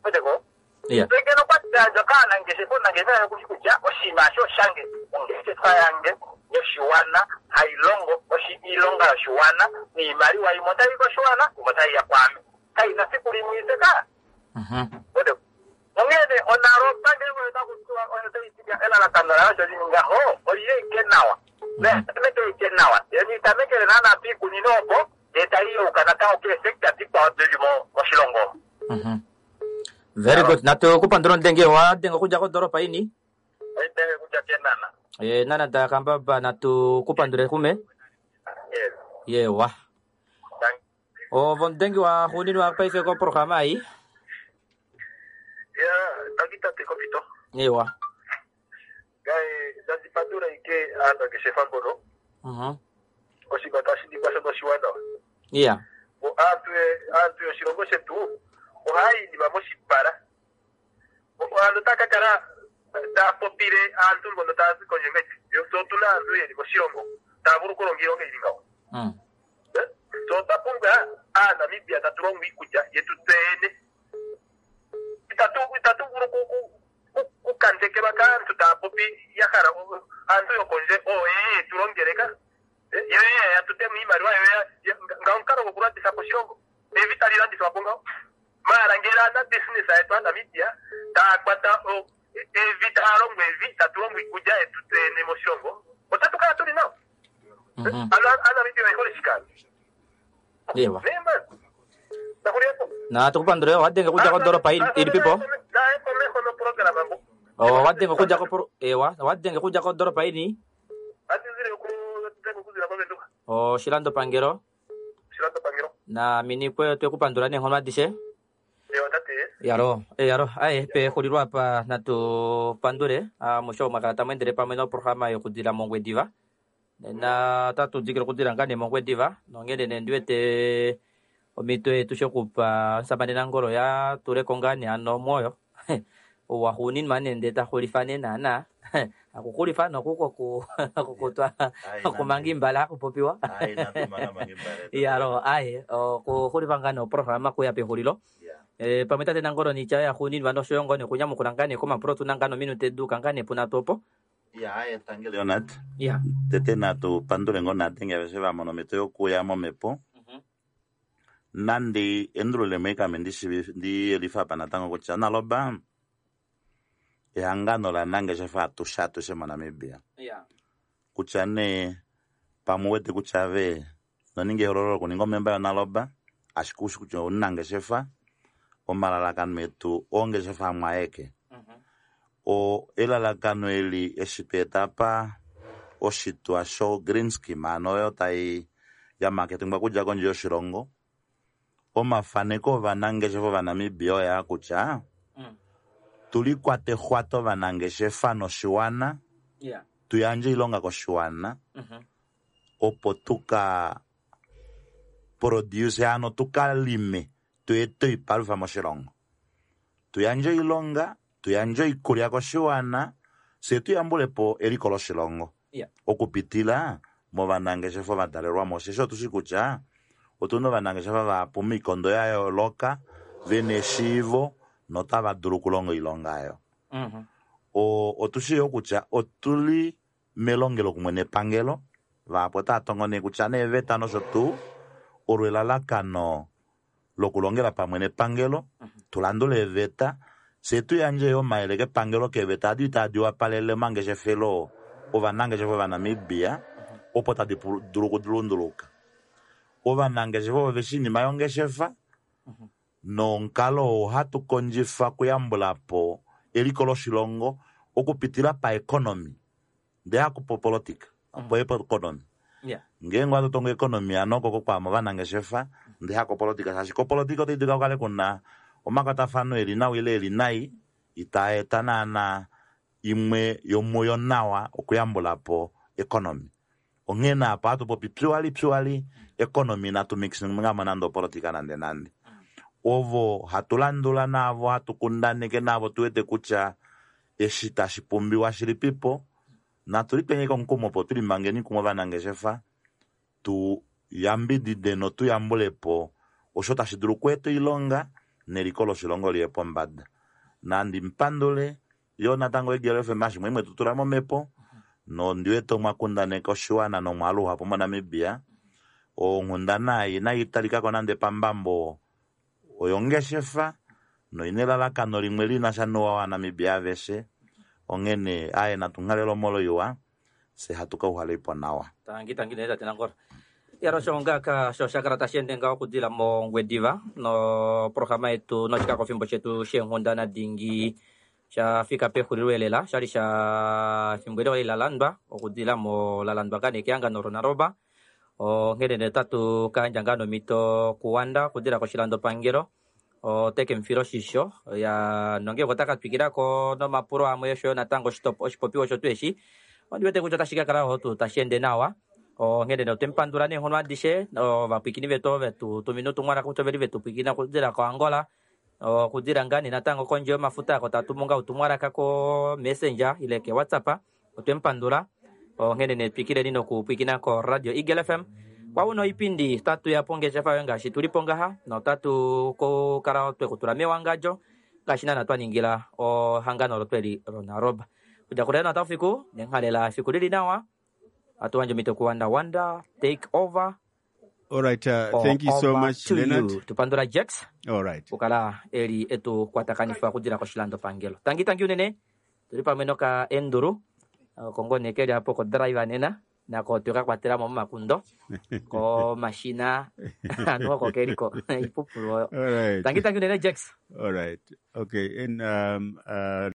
weteko ngeno okwali dayandjwa kaanangeshefa omunangeshefa yokushi kutya oshinima asho oshange ongeshefa yange yoshiwana hailongo iilonga yoshiwana niimaliwa imwe otayi koshiwana imwe otayi ya kwaame kaina siku limwe iseka. Onghene onaloba ngenge otakutiwa oyo taitiya elalakano layo sho lininga ho oliye ike nawa netameke ike nawa nitamekele naana piikunino opo ndee tayi yeuka natango keesekta dikwao dili moshilongo. Very good. Natu kupandula ondenge wa denga okudja kodoropa ini Oidenge kudja kenana. E nana dakambaba natu kupandule kume. Yewa. Ovo omudengi wa xuuninwa paife koprograma ei. Ya, tangi tate kopito. Yewa. Ngaye nandi pandula ike aanangeshefa mbono. Mhm. Oshinima tashi ningwa shono oshiwanawa. Iya. Aantu aantu yoshilongo shetu ohaya yi iinima moshipala. Aantu otaya ka kala taya popile aantu mbono taya zi kondje ngaashi tse otuna aantu yeli moshilongo taya vulu okulonga iilonga yili ngawo. Tse otwa pumbwa aaNamibia tatu longo iikulya yetu tse yene. Itatu itatu vulu kukandekelwa kaantu taya popi ya hala aantu yokondje oo yeye yetu longeleka yo yeye yatutemu iimaliwa yo nga omukalo gokulanditha po oshilongo evi tali landithwa po ngawo. Maala ngele aanabisinesa yetu aaNamibia taya kwata evi taya longo evi tatu longo iikulya yetu tse yene moshilongo otatu kala tuli nawa. Ano aaNamibia oye hole shikala. Yewa. Nee man. Nakuliyepo. Natukupandule wadenge okudja kodoropa ilipipo. Naye komeho noprograma mbo. Wadenge okudja ko ewa wadenge okudja kodoropa ini. Atizile okudenga okuzila koVenduka. Oshilandopangelo. Oshilandopangelo. Na minikwe twekupandula neenghono adishe. Ewa tate. Yalo, e yalo, aye pexulilo apa natu pandule amushe mwakala tamu endele pamwe noprograma yokudila mOngwediva. Nena otatu dikile okudila ngaa nee mOngwediva nongele nee ndiwete omhito yetu shokupa omusamane Nangolo ya tuleko ngaa nee ano omwoyo waxuuninwa nee ndee taxulifa nee naana akuxulifa nokuko kukutwa okumanga imbala akupopiwa yalo aye okuxulifa ngaa nee oprograma kuya pexulilo. E, pamwe tate Nangolo niitya yaxuuninwa noshoyo ngoo nee okunyamukula ngaa nee komapulo tuna ngaa nominute duuka ngaa nee punatu opo. Ya, aye tangi Leonard. Ya. Tete natu pandule ngoo naadenge aveshe va mona omhito yokuya momhepo. Nandi endululemo ikame ndiyelifa apa natango kutya naloba ehangano laanangeshefa atushe atushe moNamibia. Kutya nee pamwe uwete kutya ve noninga ehololo lokuninga omemba yonaloba ashike ushi kutya omunangeshefa omalalakano etu ongeshefa amwe aeke. O elalakano eli eshi tweeta pa oshitwa sho green scheme ano oyo tai yamaketengwa kudja kondje yoshilongo omafaneko ovanangeshefa ovanamibia oyaa kutya tulikwate xwato ovanangeshefa noshiwana Tuyandje oilonga koshiwana opo tuka produce ano tukalime tuete oipalufa moshilongo. Tuyandje oilonga, tuyandje oikulya koshiwana, fye tuyambulepo eliko loshilongo. Yeah. Okupitila movanangeshefa ovadalelwamo, osheshi otushi kutya otuna ovanangeshefa vahapu moikondo ya yooloka vena eshiivo notava dulu okulonga oilonga oyo. O otushi yo kutya otuli melongelo kumwe nepangelo, vahapu otava tongo nee kutya neeveta nosho tuu olo elalakano lokulongela pamwe nepangelo, tulandule eeveta, fye tuyandje yo omayele kepangelo keeveta adi tadi wapalele omangeshefelo ovanangeshefa ovanamibia opo tadi dulu okulunduluka. Ovanangeshefa ovo veshi oinima yongeshefa nomukalo oo ohatu kondjifa okuyambulapo eliko loshilongo okupitila paeconomy, ndee hakupolitika, opo economy. Yeah. Ngeenge ohatu tongo economy ano oko kwaama ovanangeshefa ndee hakopolitika, shaashi kopolitika otayi dulu kukale kuna omakwatafano eli nawa ile eli nai itaa eta naana imwe yomuyo nawa okuyambulapo economy. Onghee apa ohatu popi purely purely economy inatu mixingamo nande opolitika nande nande. Ovo hatu landula naavo hatu kundaneke naavo tuwete kutya eshi tashi pumbiwa shilipipo, natu lipenge omukumo opo tulimangeni kumwe ovanangeshefa tu yambidide notuyambulepo osho tashi dulu okweeta oilonga neliko loshilongo liye pombada. Nandi mpandule yo natango Eagle F M ashimwe imwe tutula momhepo nondiwete omwa kundaneka oshiwana nomwaalu uhapu moNamibia. Onghundana ei inayi talikako nande pambambo oyongeshefa noina elalakano limwe lina sha nouwa waNamibia aveshe. Onghene aye natunghalele omolo iwa, fye hatu ka uhaleipo nawa. Tangi tangi nee tate Nangolo. Yaro osho ngaaka sho sha kala tashi ende ngaho okudila mOngwediva noprograma yetu noshikakofimbo shetu sheenghundana dingi sha fika pexulilo elela, shali sha fimbo eli la landwa okudila mo la landwa ngaa nee kehangano loNaroba. Onghene nee otatu ka yandja ngaa nomhito kuWanda okudila koshilandopangelo oteke mufila oshisho ya nonge otaka twikilako nomapulo amwe osho yo natango oshipopiwa osho tweshi ondi wete kutya otashi ka kala ho tuu tashi ende nawa. Onghene nee otwe mupandula neenghono adishe ovapwiikini vetu vetu tumina utumwalaka kutya oveli vetu pwiikina okudila koAngola, okudila ngaa nee natango kondje yomafuta ako tatu munga utumwalaka ko Messenger ile ke WhatsApp. Otwe mupandula. Onghene nee twikileni nokupwiikina ko Radio Eagle F M. Kwauno oipindi tatu ya pongeshefa yoye ngaashi tulipo ngaha notatu kukala twekutula mewangadjo ngaashi naana twa ningila ohangano olo tweli loNaroba. Kudja kulelo nataufiku nenghalela efiku lili nawa. Atu wandje omhito kuWanda Wanda take over. All right, uh, thank you so Over much, to Leonard. you. Tupandula Jax. All right. Kukala eli etu kwatakanifa okudila koshilandopangelo. Tangi tangi unene tuli pamwe noka Enduru kongo nekeli apo ko driver nena nako tweka kwatelamo momakundo ko mashina anu oko keliko ipupulo oyo. All right. Tangi tangi unene Jax. All right. Okay, and um uh